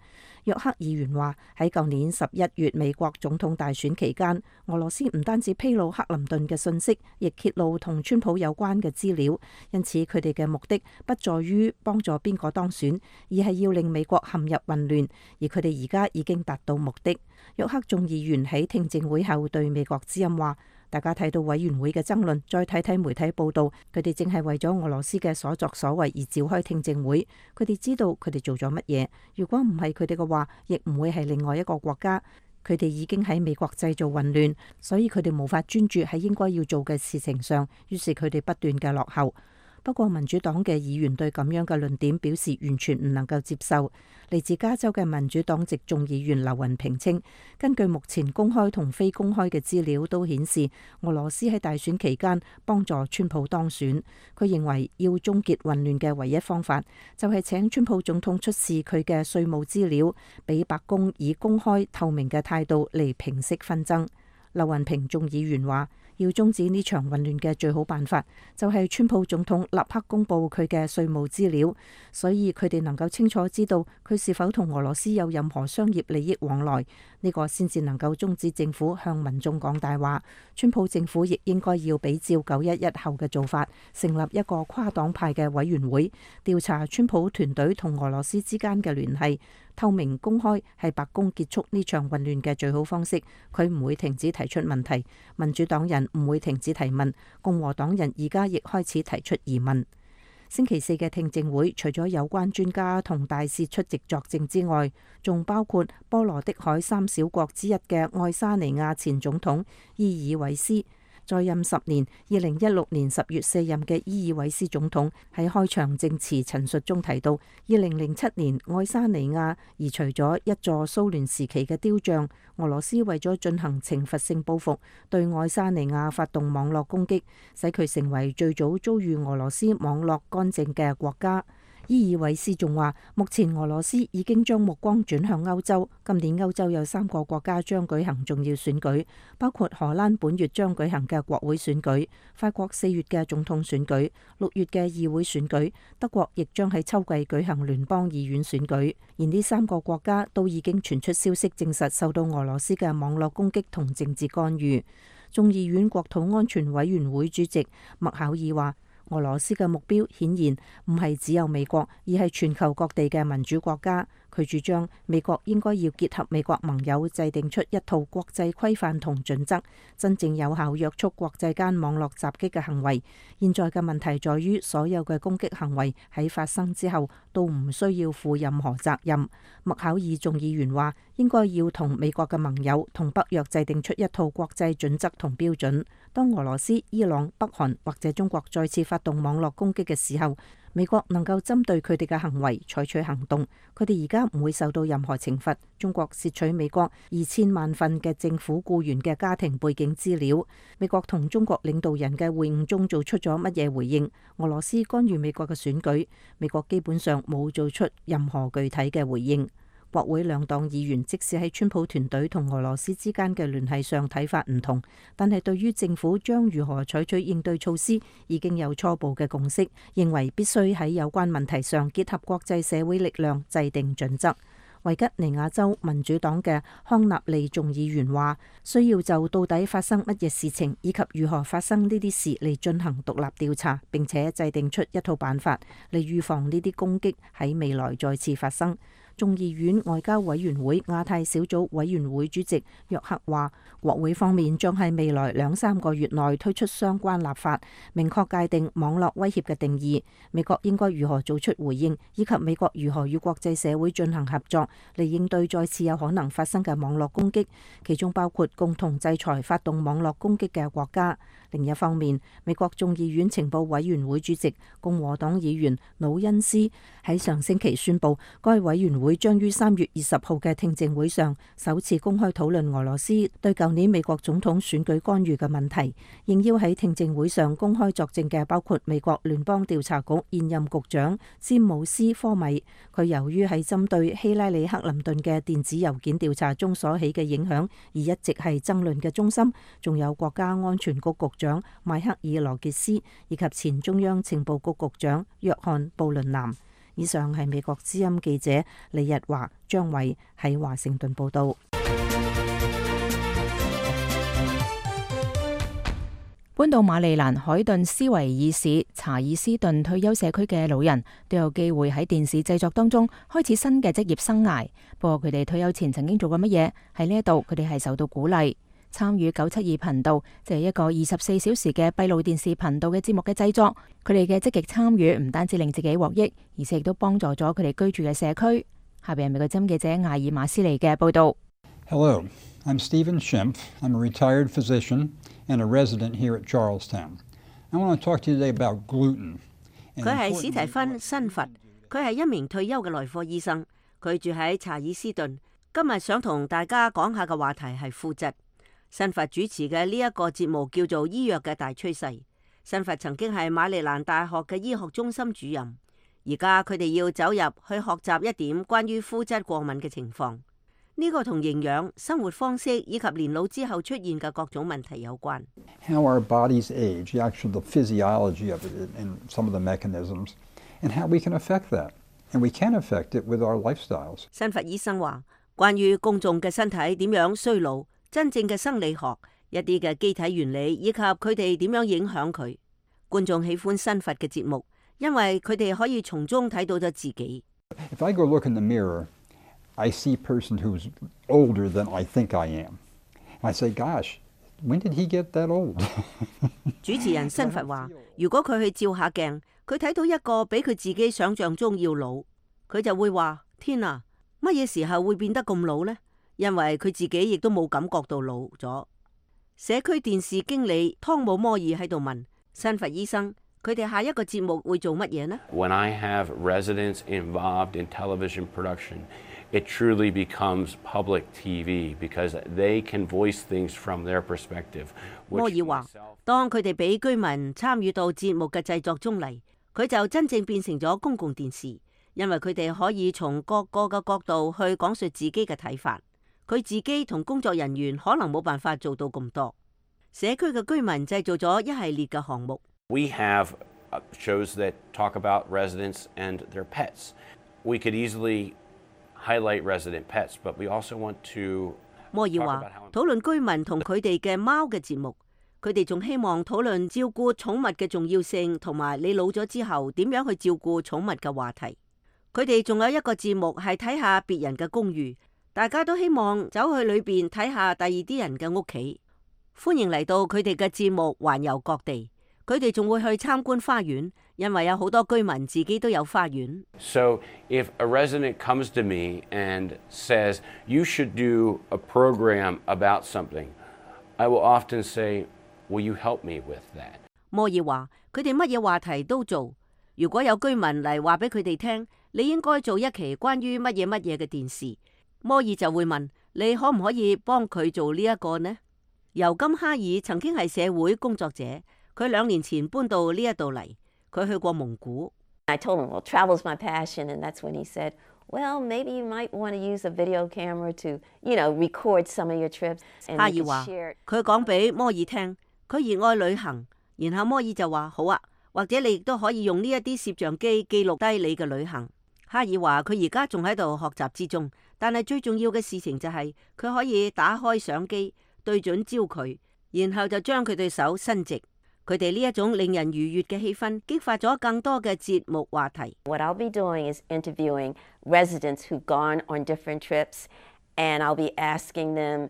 約克議員話，喺舊年11月美國總統大選期間，俄羅斯唔單止披露克林頓嘅信息，亦揭露同川普有關嘅資料，因此佢哋嘅目的不在於幫助邊個當選，而係要令美國陷入混亂，而佢哋而家已經達到目的。約克眾議員喺聽證會後對美國之音話，大家睇到委員會嘅爭論，再睇睇媒體報道，佢哋正係為咗俄羅斯嘅所作所為而召開聽證會。佢哋知道佢哋做咗乜嘢，如果唔係佢哋嘅話，亦唔會係另外一個國家。佢哋已經喺美國製造混亂，所以佢哋無法專注喺應該要做嘅事情上，於是佢哋不斷嘅落後。不過民主黨嘅議員對咁樣嘅論點表示完全唔能夠接受。嚟自加州嘅民主黨籍眾議員劉雲平稱，根據目前公開同非公開嘅資料都顯示，俄羅斯喺大選期間幫助川普當選。佢認為要終結混亂嘅唯一方法，就係請川普總統出示佢嘅稅務資料，俾白宮以公開透明嘅態度嚟平息紛爭。劉雲平眾議員話，要終止呢場混亂嘅最好辦法，就係川普總統立刻公布佢嘅稅務資料，所以佢哋能夠清楚知道佢是否同俄羅斯有任何商業利益往來，呢個先至能夠終止政府向民眾講大話。川普政府亦應該要比照911後嘅做法，成立一個跨黨派嘅委員會，調查川普團隊同俄羅斯之間嘅聯繫。透明公開係白宮結束呢場混亂嘅最好方式。佢唔會停止提出問題，民主黨人唔會停止提問，共和黨人而家亦開始提出疑問。星期四嘅聽證會除咗有關專家同大使出席作證之外，仲包括波羅的海3小國之一嘅愛沙尼亞前總統伊爾韋斯。在任10年，2016年10月卸任嘅伊爾韋斯總統喺開場證詞陳述中提到，2007年愛沙尼亞移除咗一座蘇聯時期嘅雕像，俄羅斯為咗進行懲罰性報復，對愛沙尼亞發動網絡攻擊，使佢成為最早遭遇俄羅斯網絡干政嘅國家。伊爾韋斯仲話，目前俄羅斯已經將目光轉向歐洲。今年歐洲有3個國家將舉行重要選舉，包括荷蘭本月將舉行嘅國會選舉，法國4月嘅總統選舉，6月嘅議會選舉，德國亦將喺秋季舉行聯邦議院選舉。而呢3個國家都已經傳出消息，證實受到俄羅斯嘅網絡攻擊同政治干預。眾議院國土安全委員會主席麥考爾話，俄羅斯嘅目標顯然唔係只有美國，而係全球各地嘅民主國家。佢主張美國應該要結合美國盟友，制定出一套國際規範同準則，真正有效約束國際間網絡襲擊嘅行為。現在嘅問題在於，所有嘅攻擊行為喺發生之後都唔需要負任何責任。麥考爾眾議員話，應該要同美國嘅盟友同北約制定出一套國際準則同標準。當俄羅斯、伊朗、北韓或者中國再次發動網絡攻擊嘅時候，美國能夠針對佢哋嘅行為採取行動，佢哋而家唔會受到任何懲罰。中國竊取美國2000萬份嘅政府僱員嘅家庭背景資料，美國同中國領導人嘅會晤中做出咗乜嘢回應？俄羅斯干預美國嘅選舉，美國基本上冇做出任何具體嘅回應。國會兩黨議員即使喺川普團隊同俄羅斯之間嘅聯繫上睇法唔同，但係對於政府將如何採取應對措施已經有初步嘅共識，認為必須喺有關問題上結合國際社會力量制定準則。維吉尼亞州民主黨嘅康納利眾議員話，需要就到底發生乜嘢事情以及如何發生呢啲事嚟進行獨立調查，並且制定出一套辦法嚟預防呢啲攻擊喺未來再次發生。眾議院外交委員會亞太小組委員會主席約克話，國會方面將喺未來2-3個月內推出相關立法，明確界定網絡威脅嘅定義，美國應該如何做出回應，以及美國如何與國際社會進行合作嚟應對再次有可能發生嘅網絡攻擊，其中包括共同制裁發動網絡攻擊嘅國家。另一方面，美國眾議院情報委員會主席共和黨議員魯恩斯喺上星期宣布，該委員會將於3月20號嘅聽證會上首次公開討論俄羅斯對舊年美國總統選舉干預嘅問題。應邀喺聽證會上公開作證嘅包括美國聯邦調查局現任局長詹姆斯科米，佢由於喺針對希拉里克林頓嘅電子郵件調查中所起嘅影響而一直係爭論嘅中心，仲有國家安全局局長邁克爾羅傑斯以及前中央情報局局長約翰布倫南。以上係美國之音記者李日華、張偉喺華盛頓報道。搬到馬里蘭海頓斯維爾市查爾斯頓退休社區嘅老人都有機會喺電視製作當中開始新嘅職業生涯。不過佢哋退休前曾經做過乜嘢？喺呢一度佢哋係受到鼓勵。參與972頻道，即係一個24小時嘅閉路電視頻道嘅節目嘅製作。佢哋嘅積極參與唔單止令自己獲益，而且亦都幫助咗佢哋居住嘅社區。下邊係美國之音記者艾爾馬斯尼嘅報道。Hello, I'm Stephen Schimpf. I'm a retired physician and a resident here at Charlestown. I want to talk to you today about gluten. 佢係史提芬辛佛，佢係一名退休嘅內科醫生，佢住喺查爾斯頓。今日想同大家講下嘅話題係麩質。辛佛主持嘅呢一個節目叫做《醫藥嘅大趨勢》。辛佛曾經係馬里蘭大學嘅醫學中心主任，而家佢哋要走入去學習一點關於麩質過敏嘅情況。呢個同營養、生活方式以及年老之後出現嘅各種問題有關。How our bodies age, actually the physiology of it and some of the mechanisms, and how we can affect that. And we can affect it with our lifestyles. 辛佛醫生話，關於公眾嘅身體點樣衰老，真正嘅生理學、一啲嘅機體原理以及佢哋點樣影響佢。觀眾喜歡辛佛嘅節目，因為佢哋可以從中睇到咗自己。If I go look in the mirror, I see a person who's older than I think I am. I say, gosh, when did he get that old? 主持人辛佛話，如果佢去照下鏡，佢睇到一個比佢自己想象中要老，佢就會話：天啊，乜嘢時候會變得咁老呢？因為佢自己亦都冇感覺到老咗。社區電視經理湯姆摩爾喺度問辛佛醫生：佢哋下一個節目會做乜嘢呢？ When I have residents involved in television production, it truly becomes public TV because they can voice things from their perspective. 摩爾話：當佢哋俾居民參與到節目嘅製作中嚟，佢就真正變成咗公共電視，因為佢哋可以從各個嘅角度去講述自己嘅睇法。佢自己同工作人員可能冇辦法做到咁多。社區嘅居民製造咗一系列嘅項目。We have shows that talk about residents and their pets. We could easily highlight resident pets, but we also want to 摩爾話討論居民同佢哋嘅貓嘅節目，佢哋仲希望討論照顧寵物嘅重要性，同埋你老咗之後點樣去照顧寵物嘅話題。佢哋仲有一個節目係睇下別人嘅公寓，大家都希望走去裏邊睇下第二啲人嘅屋企。歡迎嚟到佢哋嘅節目環遊各地，佢哋仲會去參觀花園，因為有好多居民自己都有花園。So if a resident comes to me and says you should do a program about something, I will often say, will you help me with that? 摩爾話佢哋乜嘢話題都做，如果有居民嚟話俾佢哋聽，你應該做一期關於乜嘢嘅電視，摩爾就會問你可唔可以幫佢做呢一個呢？尤金哈爾曾經係社會工作者，佢2年前搬到呢一度嚟，佢去過蒙古。I told him, well, travel's my passion, and that's when he said, well, maybe you might want to use a video camera to, record some of your trips. 哈爾話佢講俾摩爾聽，佢熱愛旅行，然後摩爾就話好啊，或者你亦都可以用呢一啲攝像機記錄低你嘅旅行。哈爾話佢而家仲喺度學習之中，但係最重要嘅事情就係佢可以打開相機，對準焦距，然後就將佢對手伸直。佢哋呢一種令人愉悅嘅氣氛，激發咗更多嘅節目話題。What I'll be doing is interviewing residents who've gone on different trips, and I'll be asking them,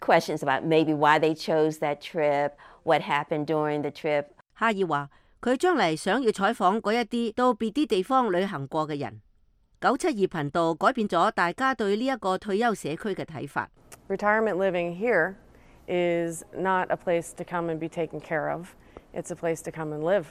questions about maybe why they chose that trip, what happened during the trip. 哈爾話佢將嚟想要採訪嗰一啲到別啲地方旅行過嘅人。972頻道改變咗大家對呢一個退休社區嘅睇法。Retirement living here is not a place to come and be taken care of. It's a place to come and live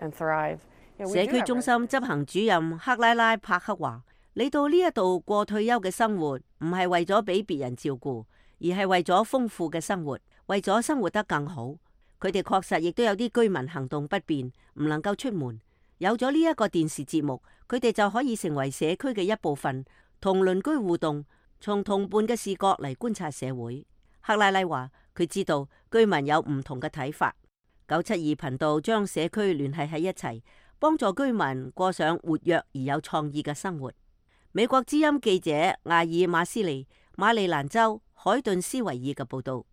and thrive. 社區中心執行主任克拉拉帕克話：你到呢一度過退休嘅生活，唔係為咗俾別人照顧，而係為咗豐富嘅生活，為咗生活得更好。佢哋確實亦都有啲居民行動不便，唔能夠出門。有咗呢一個電視節目，佢哋就可以成為社區嘅一部分，同鄰居互動，從同伴嘅視角嚟觀察社會。克拉拉話佢知道居民有唔同嘅睇法。972頻道將社區聯繫喺一齊，幫助居民過上活躍而有創意嘅生活。美國之音記者艾爾馬斯利，馬里蘭州海頓斯維爾嘅報導。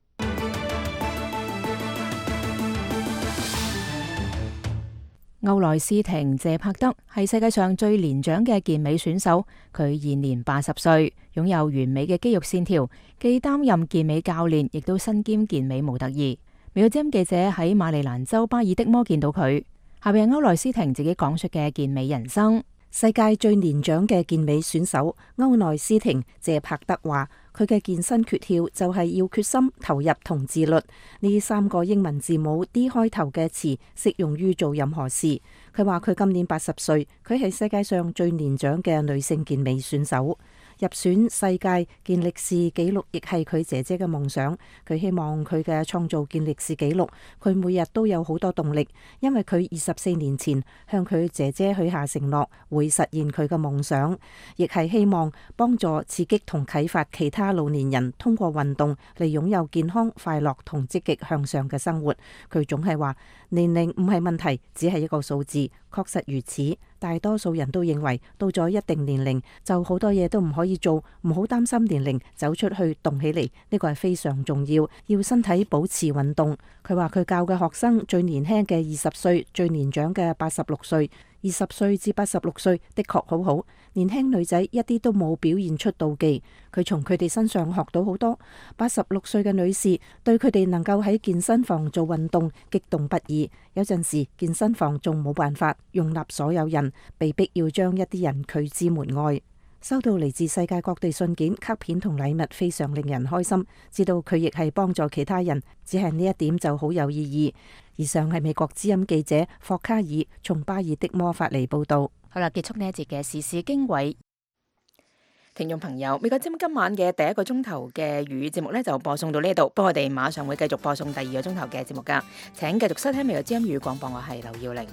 歐萊斯廷謝柏德係世界上最年長嘅健美選手，佢現年80歲，擁有完美嘅肌肉線條，既擔任健美教練，亦都身兼健美模特兒。美國之音記者喺馬里蘭州巴爾的摩見到佢。下邊係歐萊斯廷自己講述嘅健美人生。世界最年長嘅健美選手歐萊斯廷謝柏德話：佢嘅健身訣竅就係要決心、投入同自律。呢3個英文字母 D 開頭嘅詞適用於做任何事。佢話佢今年80歲，佢係世界上最年長嘅女性健美選手。入選世界健力士紀錄亦係佢姐姐嘅夢想。佢希望佢嘅創造健力士紀錄。佢每日都有好多動力，因為佢24年前向佢姐姐許下承諾，會實現佢嘅夢想，亦係希望幫助刺激同啟發其他老年人通過運動嚟擁有健康、快樂同積極向上嘅生活。佢總係話年齡唔係問題，只係一個數字。確實如此，大多數人都認為到咗一定年齡就好多嘢都唔可以做，唔好擔心年齡，走出去動起嚟，呢個係非常重要，要身體保持運動。佢話佢教嘅學生最年輕嘅20歲，最年長嘅86歲。20歲至86歲的確好好，年輕女仔一啲都冇表現出妒忌，佢從佢哋身上學到好多。86歲嘅女士對佢哋能夠喺健身房做運動激動不已，有陣時健身房仲冇辦法容納所有人，被逼要將一啲人拒之門外。收到嚟自世界各地信件、卡片同禮物，非常令人開心。知道佢亦係幫助其他人，只係呢一點就好有意義。以上係美國之音記者霍卡爾從巴爾的摩發嚟報道。好啦，結束呢一節嘅時事經緯。聽眾朋友，美國之音今晚嘅第1個鐘頭嘅粵語節目呢就播送到呢度，不過我哋馬上會繼續播送第2個鐘頭嘅節目噶，請繼續收聽美國之音粵語廣播，我係劉耀玲。